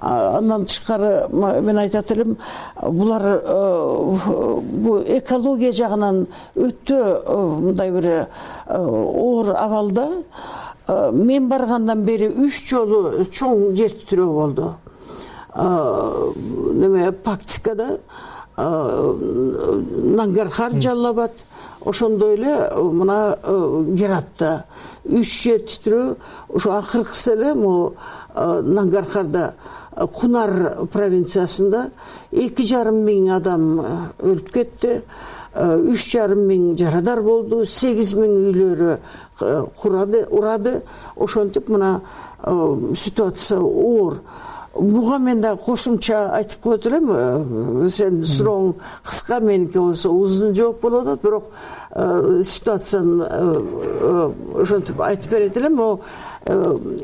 Андан тышкары мен айтат элем, булар бу экология жагынан өтө мындай бир оор абалда. Мен баргандан бери үч жолу чоң жер титирөө болду. Неме Пактикада, Нангархар, Жаллабад, ошондой эле мына Гератта үч жер титирөө. Ошо акыркысы эле могу Нангархарда, Кунар провинциясында эки жарым миң адам өлүп кетти. үч жарым миң жарадар болду, сегиз миң үйлөрү курады, урады. Ошентип мына ситуация оор. Буга мен да кошумча айтып коет элем. Сен сурооң кыска, меники болсо узун жооп болуп атат, бирок ситуацияны ошентип айтып берет элем. Могу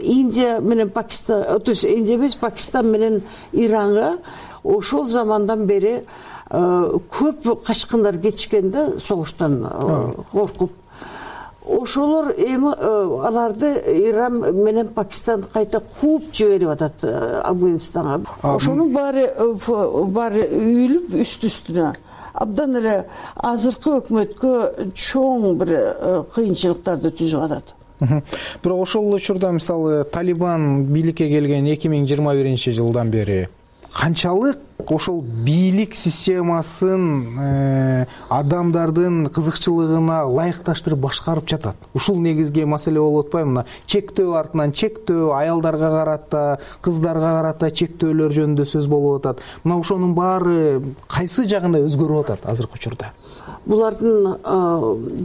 Индия менен Пакистан, то есть Индия эмес, Пакистан менен Иранга ошол замандан бери көп качкындар кетишкен да, согуштан коркуп. Ошолор эми аларды Иран менен Пакистан кайта кууп жиберип атат Афганистанга. Ошонун баары баары үйүлүп үстү-үстүнө. Абдан эле азыркы өкмөткө чоң бир кыйынчылыктарды түзүп атат. Бирок ошол учурда мисалы Талибан бийликке келген эки миң жыйырма биринчи жылдан бери канчалык ошол бийлик системасын адамдардын кызыкчылыгына ылайыкташтырып башкарып жатат? Ушул негизги маселе болуп атпайбы? Мына чектөө артынан чектөө, аялдарга карата, кыздарга карата чектөөлөр жөнүндө сөз болуп атат. Мына ошонун баары кайсы жагында өзгөрүп атат азыркы учурда? Булардын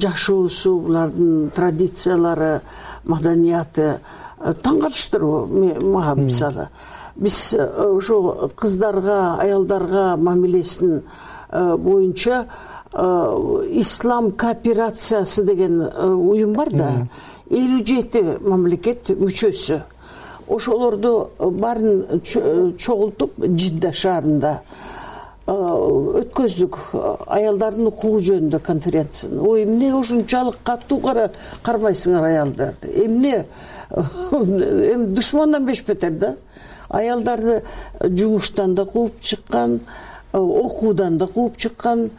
жашоосу, булардын традициялары, маданияты таң калыштыруу мага мисалы. Биз ошо кыздарга, аялдарга мамилесин боюнча Ислам кооперациясы деген уюм бар да, элүү жети мамлекет мүчөсү. Ошолорду баарын чогултуп Жидда шаарында өткөздүк аялдардын укугу жөнүндө конференцияны. Ой, эмне ушунчалык катуу кармайсыңар аялдарды? Эмне эми душмандан бешбетер да. Аялдарды жумуштан да кууп чыккан, окуудан да кууп чыккан,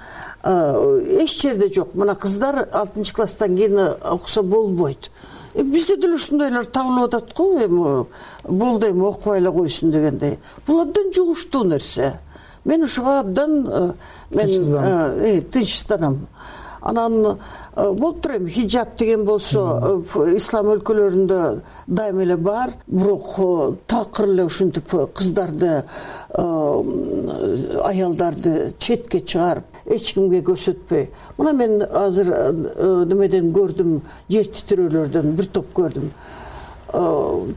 эч жерде жок. Мына кыздар алтынчы класстан кийин окуса болбойт. Бизде деле ушундайлар табылып атат го, эми болду, эми окубай эле койсун дегендей. Бул абдан жугуштуу нерсе. Мен ушуга абдан мен тынчсызданам. Анан болуп тур эми хиджаб деген болсо ислам өлкөлөрүндө дайыма эле бар, бирок такыр эле ушинтип кыздарды, аялдарды четке чыгарып, эч кимге көрсөтпөй. Мына мен азыр немеден көрдүм, жер титирөөлөрдөн бир топ көрдүм.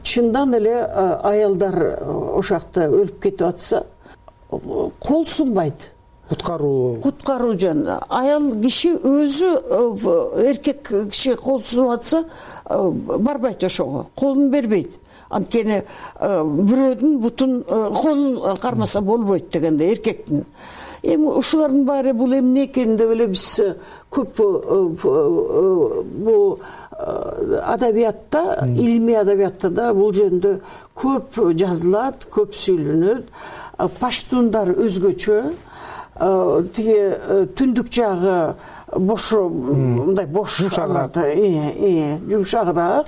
Чындан эле аялдар ошакта өлүп кетип атса, кол сунбайт. Куткаруу куткаруу жөн. Аял киши өзү, эркек киши кол сунуп атса, барбайт ошого, колун бербейт. Анткени бирөөдүн бутун, колун кармаса болбойт дегенде, эркектин. Эми ушулардын баары бул эмне экени деп эле биз көп бул адабиятта, илимий адабиятта да бул жөнүндө көп жазылат, көп сүйлөнөт. Паштундар өзгөчө, тиги түндүк жагы бош, мындай бош, э жумшагыраак.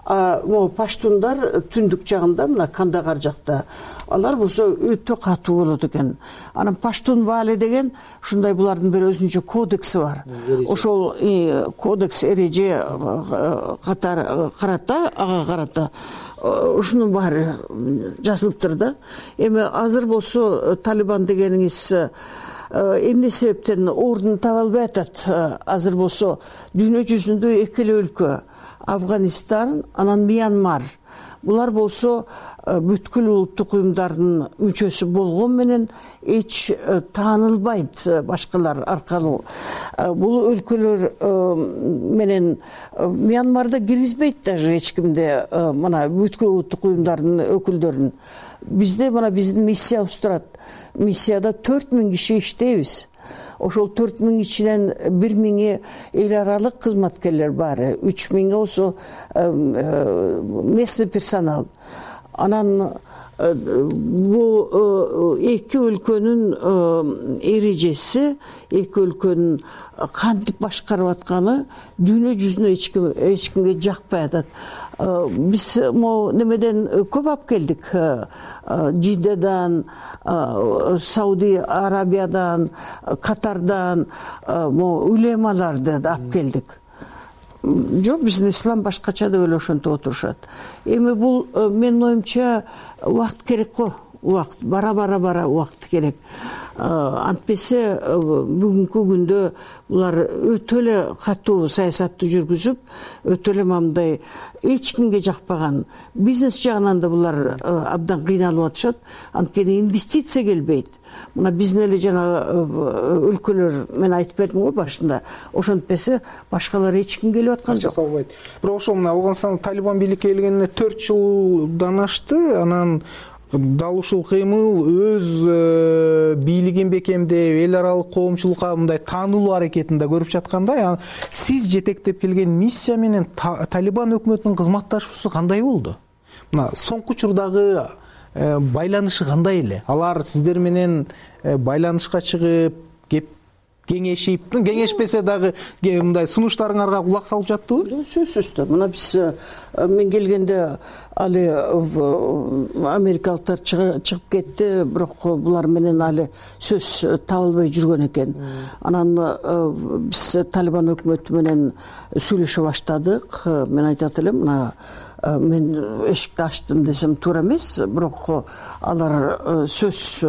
Могу паштундар түндүк жагында, мына Кандагар жакта алар болсо өтө катуу болот экен. Анан паштун ваали деген ушундай, булардын бир өзүнчө кодекси бар. Ошол кодекс эреже катары карата, ага карата ушунун баары жазылыптыр да. Эми азыр болсо Талибан дегениңиз эмне себептен ордун таба албай атат? Азыр болсо дүйнө жүзүндө эки эле өлкө, Афганистан, анан Мьянмар. Булар болсо бүткүл улуттук уюмдардын мүчөсү болгон менен эч таанылбайт башкалар аркылуу. Бул өлкөлөр менен Мьянмарда киргизбейт даже эч кимди, мына бүткүл улуттук уюмдардын өкүлдөрүн. Бизде мына биздин миссиябыз турат. Миссияда төрт миң киши иштейбиз. Ошол төрт миң ичинен бир миңи эл аралык кызматкерлер бар, үч миңи болсо местный персонал. Анан бул эки өлкөнүн эрежеси, эки өлкөнүн кантип башкарып атканы дүйнө жүзүнө эч ким эч кимге жакпай атат. Биз могу немеден көп алып келдик. Жиддадан, Сауди Арабиядан, Катардан могу улемаларды да алып келдик. Жок, биздин ислам башкача деп эле ошентип отурушат. Эми бул менин оюмча убакыт керек го. Убакыт бара-бара бара убакыт керек. Антпесе бүгүнкү күндө булар өтө эле катуу саясатты жүргүзүп, өтө эле мындай эч кимге жакпаган, бизнес жагынан да булар абдан кыйналып атышат. Анткени инвестиция келбейт. Мына биздин эле жана өлкөлөр, мен айтып бердим го башында, ошентпесе башкалар эч ким келип аткан жок. Бирок ошол мына Афганстан Талибан бийликке келгенине төрт жылдан ашты. Анан дал ушул кыймыл өз бийлигин бекемдеп, эл аралык коомчулукка мындай таанылуу аракетин да көрүп жаткандай. Сиз жетектеп келген миссия менен Талибан өкмөтүнүн кызматташуусу кандай болду? Мына соңку учурдагы байланышы кандай эле? Алар сиздер менен байланышка чыгып, кеп кеңешип, кеңешпесе дагы мындай сунуштарыңарга кулак салып жаттыбы? Сөзсүз да. Мына биз мен келгенде али америкалыктар чыгып кетти, бирок булар менен али сөз табылбай жүргөн экен. Анан биз Талибан өкмөтү менен сүйлөшө баштадык. Мен айтат элем, мына мен эшикти ачтым десем туура эмес, бирок алар сөз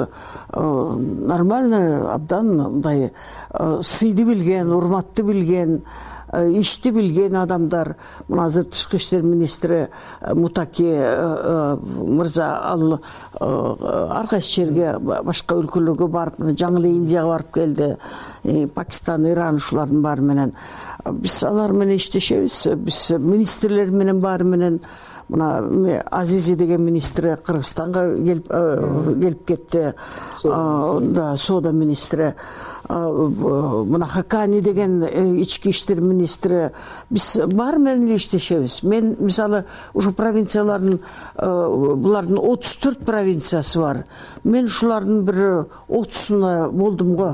нормально, абдан мындай сыйды билген, урматты билген, ишти билген адамдар. Мына азыр тышкы иштер министри Мутаки мырза ал ар кайсы жерге, башка өлкөлөргө барып, жаңы эле Индияга барып келди, Пакистан, Иран ушулардын баары менен. Биз алар менен иштешебиз. Биз министрлер менен баары менен, мына Азизи деген министри Кыргызстанга келип келип кетти. Да, соода министри. Мына Хакани деген ички иштер министри. Биз баары менен эле иштешебиз. Мен мисалы ушу провинциялардын, булардын отуз төрт провинциясы бар. Мен ушулардын бир отузунда болдум го,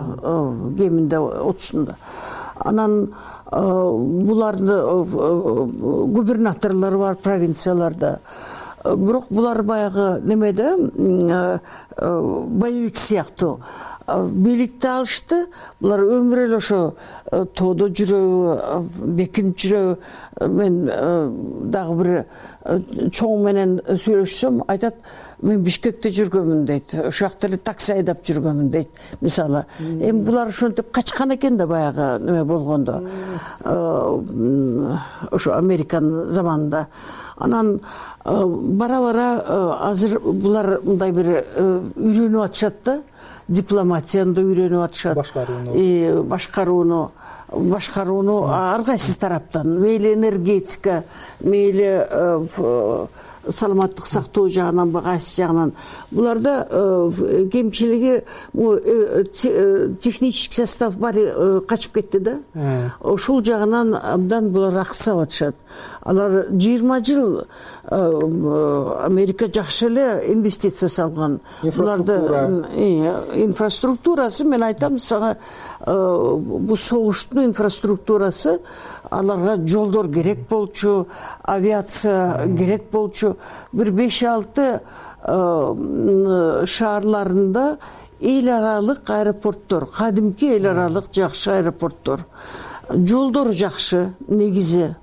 кеминде отузунда. Анан булардын губернаторлору бар провинцияларда. Бирок булар баягы немеде, боевик сыяктуу бийликти алышты. Булар өмүр эле ошо тоодо жүрөбү, бекинип жүрөбү. Мен дагы бир чоң менен сүйлөшсөм, айтат, мен Бишкекте жүргөнмүн дейт. Ошол жакта эле такси айдап жүргөнмүн дейт, мисалы. Эми булар ошентип качкан экен да баягы неме болгондо. Ошо Американын заманында. Анан бара-бара азыр булар мындай бир үйрөнүп атышат да. Дипломатияны да үйрөнүп атышат. Башкарууну. Башкарууну. башкарууну ар кайсы тараптан, мейли энергетика, мейли саламаттык сактоо жагынан, кайсы жагынан, буларда кемчилиги технический состав баары качып кетти да. Ошол жагынан абдан булар аксап атышат. Алар жыйырма жыл Америка жакшы эле инвестиция салган. Буларда инфраструктурасы, мен айтам сага, бул согуштун инфраструктурасы, аларга жолдор керек болчу, авиация керек болчу. Бир беш алты шаарларында эл аралык аэропорттор, кадимки эл аралык жакшы аэропорттор, жолдор жакшы негизи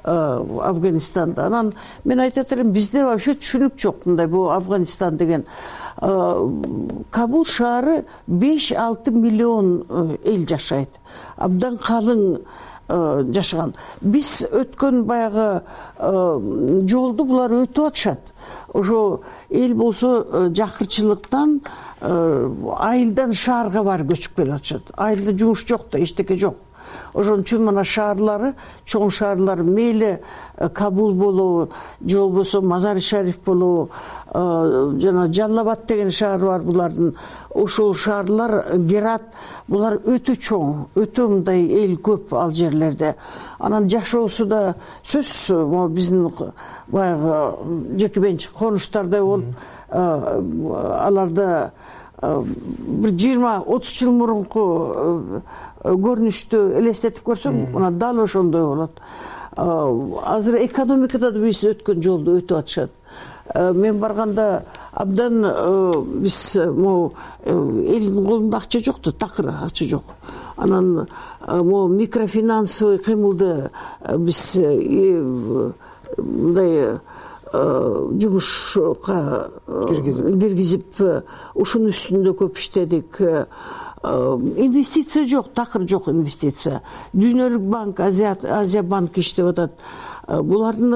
Афганистанда. Анан мен айтат элем, бизде вообще түшүнүк жок мындай бул Афганистан деген. Кабул шаары беш алты миллион эл жашайт. Абдан калың жашаган. Биз өткөн баягы жолду булар өтүп атышат. Ошо эл болсо жакырчылыктан айылдан шаарга барып көчүп келип атышат. Айылда жумуш жок да, эчтеке жок. Ошон үчүн мына шаарлары, чоң шаарлар, мейли Кабул болобу, же болбосо Мазари Шариф болобу, жана Жаллабад деген шаар бар булардын. Ошол шаарлар, Герат, булар өтө чоң, өтө мындай эл көп ал жерлерде. Анан жашоосу да сөзсүз биздин баягы жеке менчик конуштардай болуп, аларда бир жыйырма отуз жыл мурунку көрүнүштү элестетип көрсөң, мына дал ошондой болот. Азыр экономикада да биз өткөн жолду өтүп атышат. Мен барганда абдан биз могу элдин колунда акча жок да, такыр акча жок. Анан могу микрофинансовый кыймылды биз мындай жумушка киргизип, ушунун үстүндө көп иштедик. Инвестиция жок, такыр жок инвестиция. Дүйнөлүк банк, Азия банк иштеп атат. Булардын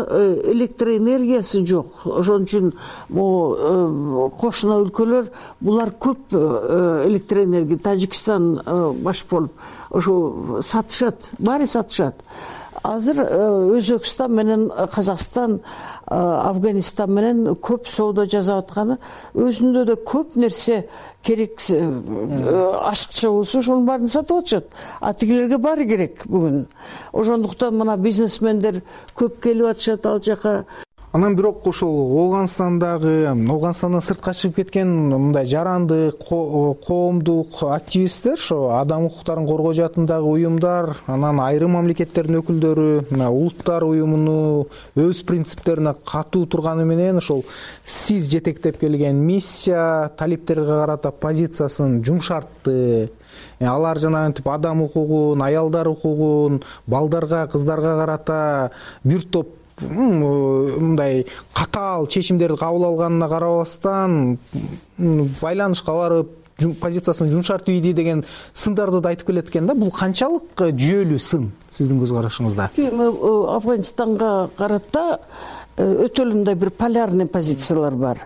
электроэнергиясы жок. Ошон үчүн могу кошуна өлкөлөр булар көп электроэнергия, Тажикстан баш болуп, ошо сатышат, баары сатышат. Азыр Өзбекстан менен Казакстан, Афганистан менен көп соода жасап атканы, өзүндө да көп нерсе керек, ашыкча болсо ошонун баарын сатып атышат. А тигилерге баары керек бүгүн. Ошондуктан мына бизнесмендер көп келип атышат ал жака. Анан бирок ошол Ооганстандагы, Ооганстандан сыртка чыгып кеткен мындай жаранды коомдук активисттер, ошо адам укуктарын коргоо жаатындагы уюмдар, анан айрым мамлекеттердин өкүлдөрү мына улуттар уюмуну өз принциптерине катуу турганы менен ошол сиз жетектеп келген миссия талептерге карата позициясын жумшартты. Алар жанагынтип адам укугун, аялдар укугун, балдарга, кыздарга карата бир топ мындай катаал чечимдерди кабыл алганына карабастан байланышка барып позициясын жумшартып ийди деген сындарды да айтып келет экен да. Бул канчалык жүйөлүү сын сиздин көз карашыңызда? Афганистанга карата өтө эле мындай бир полярный позициялар бар.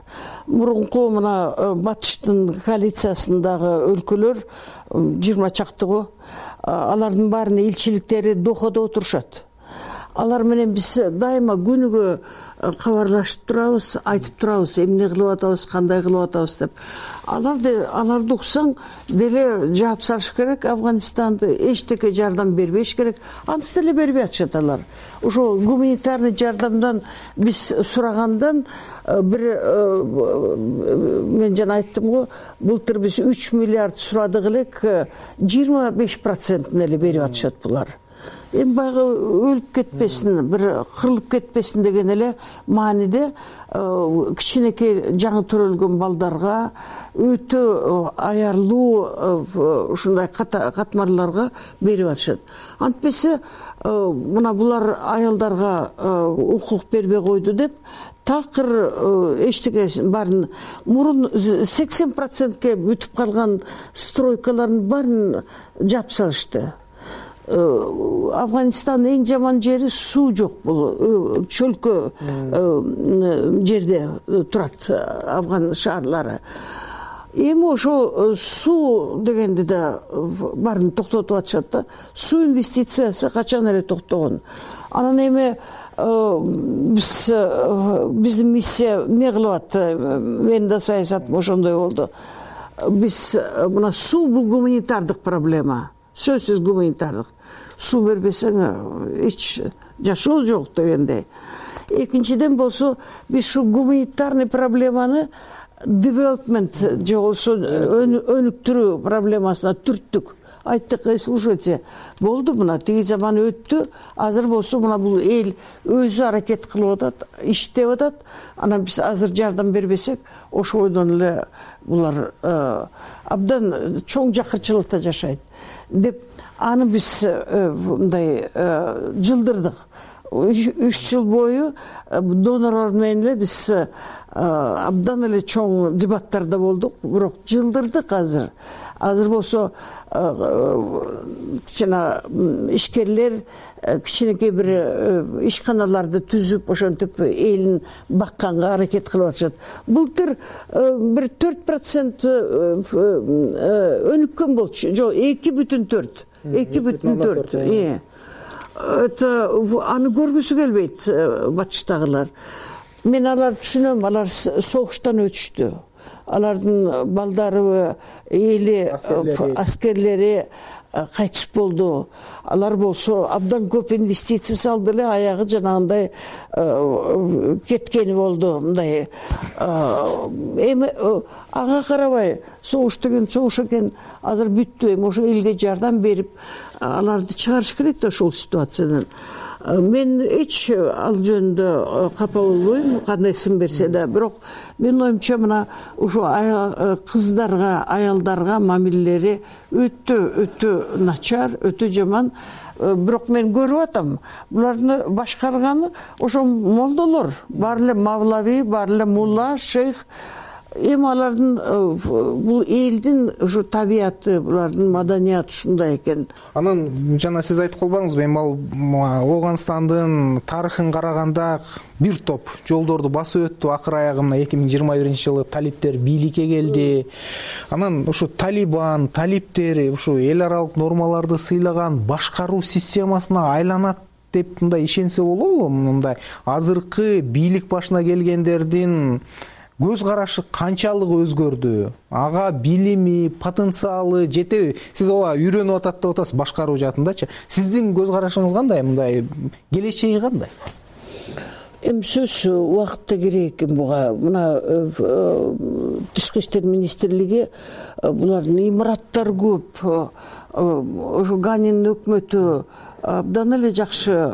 Мурунку мына батыштын коалициясындагы өлкөлөр жыйырма чактыгы, алардын баарынын элчиликтери Дохада отурушат. Алар менен биз дайыма күнүгө кабарлашып турабыз, айтып турабыз, эмне кылып атабыз, кандай кылып атабыз деп. Аларды аларды уксаң деле жаап салыш керек. Афганистанды эчтеке жардам бербеш керек. Анысы деле бербей атышат алар. Ошо гуманитарный жардамдан биз сурагандан бир мен жана айттым го, былтыр биз үч миллиард сурадык элек, жыйырма беш процентин эле берип атышат булар. Эми баягы өлүп кетпесин, бир кырылып кетпесин деген эле мааниде кичинекей жаңы төрөлгөн балдарга, өтө аярлуу ушундай катмарларга берип атышат. Антпесе мына булар аялдарга укук бербей койду деп такыр эчтеке баарын мурун сексен процентке бүтүп калган стройкалардын баарын жаап салышты. Афганистандын эң жаман жери суу жок, бул чөлкө жерде турат афган шаарлары. эми ошол суу дегенди да баарын токтотуп атышат да. Суу инвестициясы качан эле токтогон. Анан эми биз биздин миссия эмне кылып атты, менин да саясатым ошондой болду. Биз мына суу бул гуманитардык проблема, сөзсүз гуманитардык. Суу бербесең эч жашоо жок дегендей. Экинчиден болсо биз ушу гуманитарный проблеманы development же болбосо өнүктүрүү проблемасына түрттүк. Айттык, слушайте, болду мына тиги заман өттү, азыр болсо мына бул эл өзү аракет кылып атат, иштеп атат. Анан биз азыр жардам бербесек, ошол ойдон эле булар абдан чоң жакырчылыкта жашайт деп аны биз мындай жылдырдык. Үч жыл бою донорлор менен эле биз абдан эле чоң дебаттарда болдук, бирок жылдырдык азыр. Азыр болсо кичине ишкерлер кичинекей бир ишканаларды түзүп, ошентип элин бакканга аракет кылып атышат. Былтыр бир төрт процент өнүккөн болчу. Жок, эки бүтүн төрт. эки бүтүн төрт. Это аны көргүсү келбейт батыштагылар. Мен аларды түшүнөм, алар согуштан өтүштү. Алардын балдары, эли, аскерлери кайтыш болду. Алар болсо абдан көп инвестиция салды эле, аягы жанагындай кеткени болду. Мындай эми ага карабай, согуш деген согуш экен, азыр бүттү. Эми ошо элге жардам берип аларды чыгарыш керек да ошол ситуациядан. Мен эч ал жөнүндө капа болбойм, кандай сын берсе да, бирок менин оюмча мына ушу кыздарга, аялдарга мамилелери өтө өтө начар, өтө жаман. Бирок мен көрүп атам, буларды башкарганы ошо молдолор, баары эле мавлави, баары эле мулла, шейх. Эми алардын бул элдин ушу табияты, булардын маданияты ушундай экен. Анан жана сиз айтып калбадыңызбы, эми ал Оогандандын тарыхын караганда бир топ жолдорду басып өттү. Акыр аягында эки миң жыйырма биринчи жылы талиптер бийликке келди. Анан ушу талибан, талиптер ушу эл аралык нормаларды сыйлаган башкаруу системасына айланат деп мындай ишенсе болобу? Мындай азыркы бийлик башына келгендердин көз карашы канчалык өзгөрдү? Ага билими, потенциалы жетеби? Сиз ооба үйрөнүп атат деп атасыз башкаруу жаатындачы. Сиздин көз карашыңыз кандай? Мындай келечеги кандай? Эми сөзсүз убакытта керек экен буга. Мына Тышкы иштер министрлиги булардын имараттары көп. Ошо Ганин өкмөтү абдан эле жакшы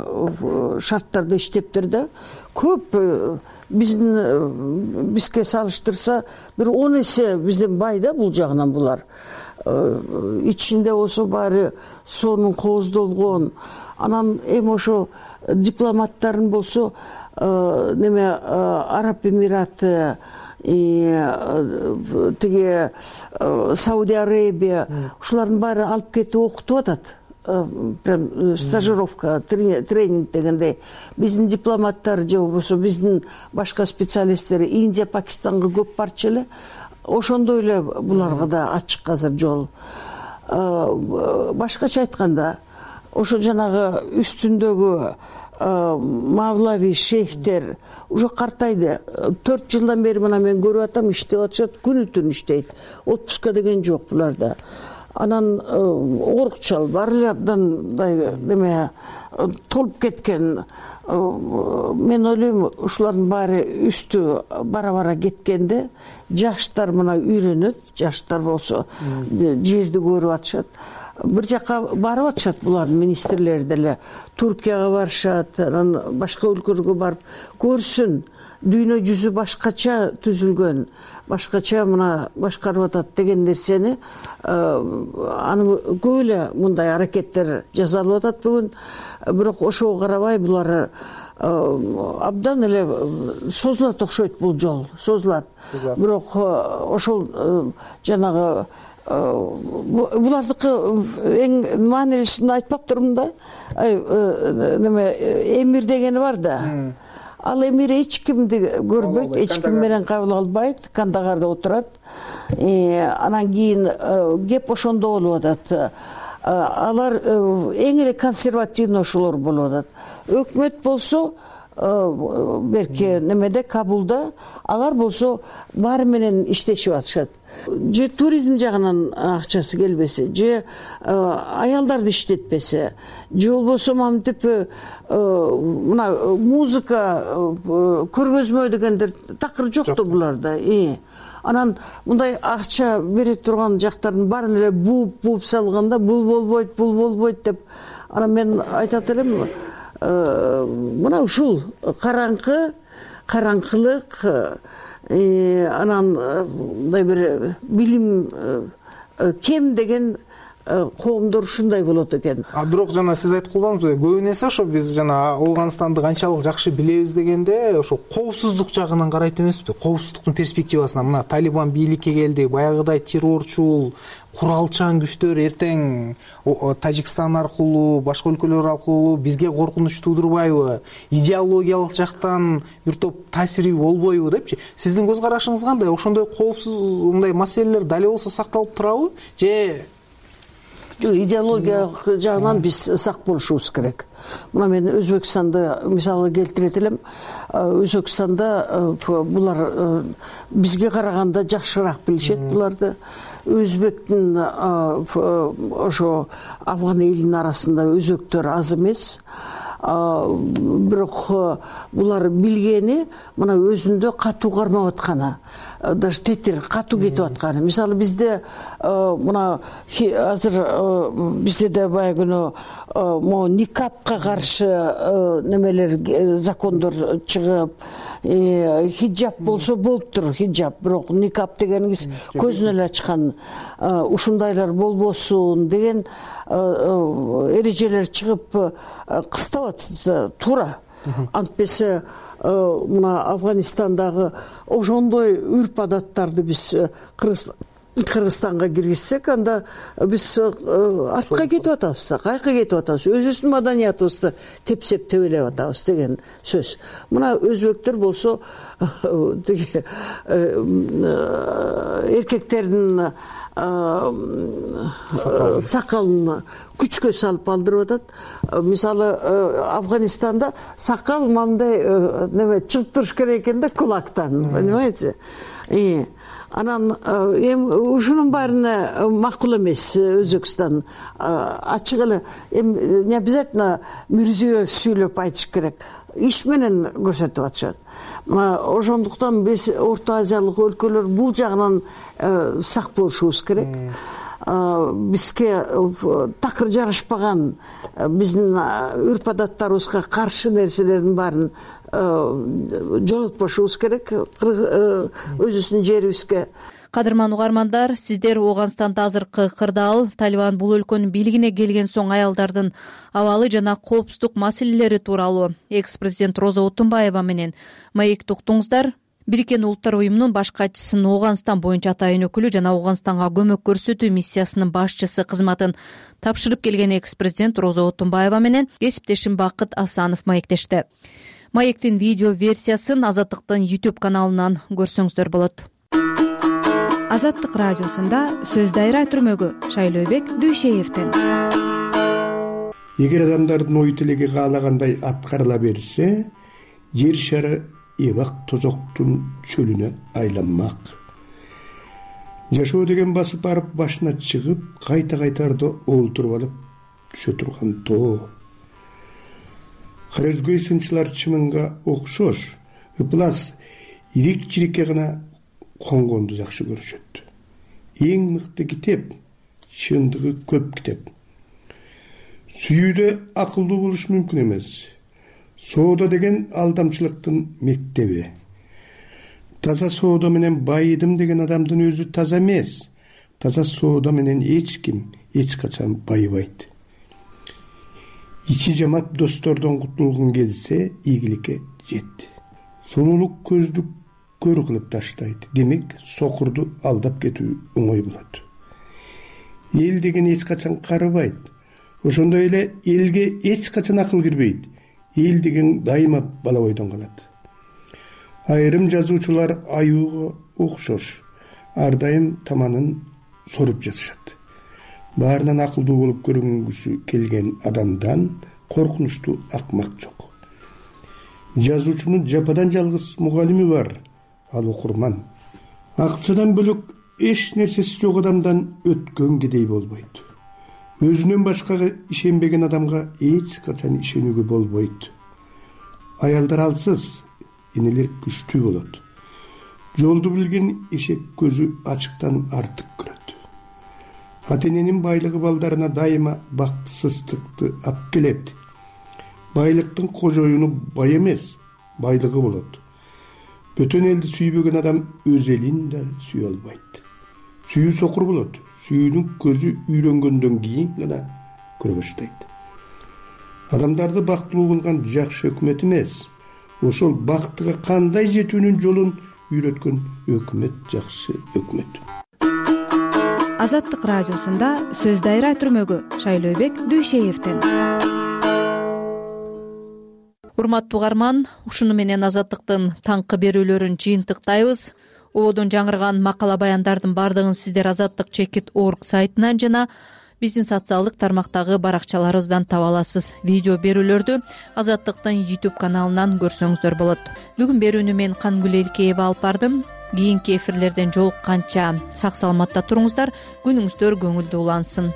шарттарда иштептир да. Көп биздин бизге салыштырса бир он эсе бизден бай да бул жагынан булар. Ичинде болсо баары сонун кооздолгон. Анан эми ошо дипломаттарын болсо неме Араб Эмираты, тиги Саудия Арабия, ушулардын баары алып кетип окутуп атат. Прям стажировка, тренинг дегендей. Биздин дипломаттар же болбосо биздин башка специалисттер Индия, Пакистанга көп барчу эле. Ошондой эле буларга да ачык азыр жол. Башкача айтканда, ошо жанагы үстүндөгү мавлави шейхтер уже картайды. төрт жылдан бери мына мен көрүп атам, иштеп атышат, күнү түн иштейт. Отпуска деген жок буларда. Анан орукчал баары эле абдан мындай неме толуп кеткен. Мен ойлойм, ушулардын баары үстү бара-бара кеткенде жаштар мына үйрөнөт, жаштар болсо жерди көрүп атышат. Бир жака барып атышат булардын министрлери деле. Туркияга барышат, анан башка өлкөлөргө барып көрсүн. Дүйнө жүзү башкача түзүлгөн, башкача мына башкарып атат деген нерсени аны көп эле мындай аракеттер жасалып атат бүгүн. Бирок ошого карабай булар абдан эле созулат окшойт бул жол, созулат. Бирок ошол жанагы булардыкы эң маанилүүсүн айтпаптырмын да. Неме эмир дегени бар да. Ал эмир эч кимди көрбөйт, эч ким менен кабыл албайт, Кандагарда отурат. анан кийин кеп ошондо болуп атат. Алар эң эле консервативный ошолор болуп атат. Өкмөт болсо берки немеде Кабулда алар болсо баары менен иштешип атышат. Же туризм жагынан акчасы келбесе, же аялдарды иштетпесе, же болбосо мамтип мына музыка көргөзмө дегендер такыр жок да буларда. Анан мындай акча бере турган жактардын баарын эле бууп бууп салганда бул болбойт, бул болбойт деп, анан мен айтат элем, мына ушул караңкы караңкылык, анан мындай бир билим кем деген коомдор ушундай болот экен. А бирок жана сиз айтып калбадыңызбы, көбүн эсе ошо биз жана Ооганстанды канчалык жакшы билебиз дегенде ошо коопсуздук жагынан карайт эмеспи? Коопсуздуктун перспективасынан. Мына Талибан бийликке келди, баягыдай террорчул, куралчан күчтөр эртең Тажикстан аркылуу, башка өлкөлөр аркылуу бизге коркунуч туудурбайбы? Идеологиялык жактан бир топ таасири болбойбу депчи? Сиздин көз карашыңыз кандай? Ошондой коопсуз мындай маселелер дали болсо сакталып турабы? Же жок, идеология жагынан биз сак болушубуз керек. Мына мен Өзбекстанды мисалы келтирет элем. Өзбекстанда булар бизге караганда жакшыраак билишет буларды. Өзбектин ошо афган элинин арасында өзбектөр аз эмес. Бирок булар билгени мына өзүндө катуу кармап атканы, даже тетир катуу кетип атканы. Мисалы бизде мына азыр бизде да баягы могу никапка каршы немелер закондор чыгып, хиджаб болсо болуптур, хиджаб, бирок никап дегениңиз көзүн эле ачкан, ушундайлар болбосун деген эрежелер чыгып кыстап туура. Антпесе мына Афганистандагы ошондой үрп адаттарды биз Кыргызстанга киргизсек, анда биз артка кетип атабыз да, кайка кетип атабыз, өзүбүздүн маданиятыбызды тепсеп тебелеп атабыз деген сөз. Мына өзбектөр болсо тиги эркектердин сакалын күчкө салып алдырып атат. Мисалы Афганистанда сакал мындай неме чыгып туруш керек экен да, кулактан, понимаете? Анан эми ушунун баарына макул эмес Өзбекстан. Ачык эле эми не обязательно Мирзиёев сүйлөп айтыш керек, иш менен көрсөтүп атышат. Ошондуктан биз Орто Азиялык өлкөлөр бул жагынан сак болушубуз керек. Бизге такыр жарашпаган, биздин үрп адаттарыбызга каршы нерселердин баарын жоготпошубуз керек өзүбүздүн жерибизге. Кадырман угармандар, сиздер Ооганстанда азыркы кырдаал, Талибан бул өлкөнүн бийлигине келген соң аялдардын абалы жана коопсуздук маселелери тууралуу экс-президент Роза Отунбаева менен маекти уктуңуздар. Бириккен Улуттар уюмунун баш катчысынын Ооганстан боюнча атайын өкүлү жана Ооганстанга көмөк көрсөтүү миссиясынын башчысы кызматын тапшырып келген экс-президент Роза Отунбаева менен кесиптешим Бакыт Асанов маектешти. Маектин видео версиясын Азаттыктын YouTube каналынан көрсөңүздөр болот. Азаттык радиосунда сөз дайра түрмөгү Шайлообек Дүйшеевден. Эгер адамдардын ой тилеги каалагандай аткарыла берсе, жер шары эбак тозоктун чөлүнө айланмак. Жашоо деген басып барып башына чыгып, кайта-кайтарда олтуруп алып түшө турган тоо. Хорезгөй сынчылар чымынга окшош, ыплас ирик-чирикке гана конгонду жакшы көрүшөт. Эң мыкты китеп, чындыгы көп китеп. Сүйүүдө акылдуу болуш мүмкүн эмес. Соода деген алдамчылыктын мектеби. Таза соода менен байыдым деген адамдын өзү таза эмес. Таза соода менен эч ким эч качан байыбайт. Ичи жамап достордон кутулгун келсе, ийгиликке жет. Сулуулук көздү көр кылып таштайт. Демек, сокурду алдап кетүү оңой болот. Эл деген эч качан карыбайт. Ошондой эле элге эч качан акыл кирбейт. Эл деген дайыма бала бойдон калат. Айрым жазуучулар аюуга окшош. ар дайым таманын соруп жатышат. Баарынан акылдуу болуп көрүнгүсү келген адамдан коркунучтуу акмак жок. Жазуучунун жападан жалгыз мугалими бар, ал окурман. Акчадан бөлөк эч нерсеси жок адамдан өткөн кедей болбойт. Өзүнөн башкага ишенбеген адамга эч качан ишенүүгө болбойт. Аялдар алсыз, энелер күчтүү болот. Жолду билген эшек көзү ачыктан артык көрөт. Ата эненин байлыгы балдарына дайыма бактысыздыкты алып келет. Байлыктын кожоюну бай эмес, байлыгы болот. Бөтөн элди сүйбөгөн адам өз элин да сүйө албайт. Сүйүү сокур болот. Сүйүүнүн көзү үйрөнгөндөн кийин гана көрө баштайт. Адамдарды бактылуу кылган жакшы өкмөт эмес, ошол бактыга кандай жетүүнүн жолун үйрөткөн өкмөт жакшы өкмөт. Азаттык радиосунда сөз дайра түрмөгү Шайлообек Дүйшеевден. Урматтуу угарман, ушуну менен Азаттыктын таңкы берүүлөрүн жыйынтыктайбыз. Ободон жаңырган макала баяндардын бардыгын сиздер азаттык чекит орг сайтынан жана биздин социалдык тармактагы баракчаларыбыздан таба аласыз. Видео берүүлөрдү Азаттыктын YouTube каналынан көрсөңүздөр болот. Бүгүн берүүнү мен Кангүл Элкеева алып бардым. Кийинки эфирлерден жолукканча сак саламатта туруңуздар, күнүңүздөр көңүлдүү улансын.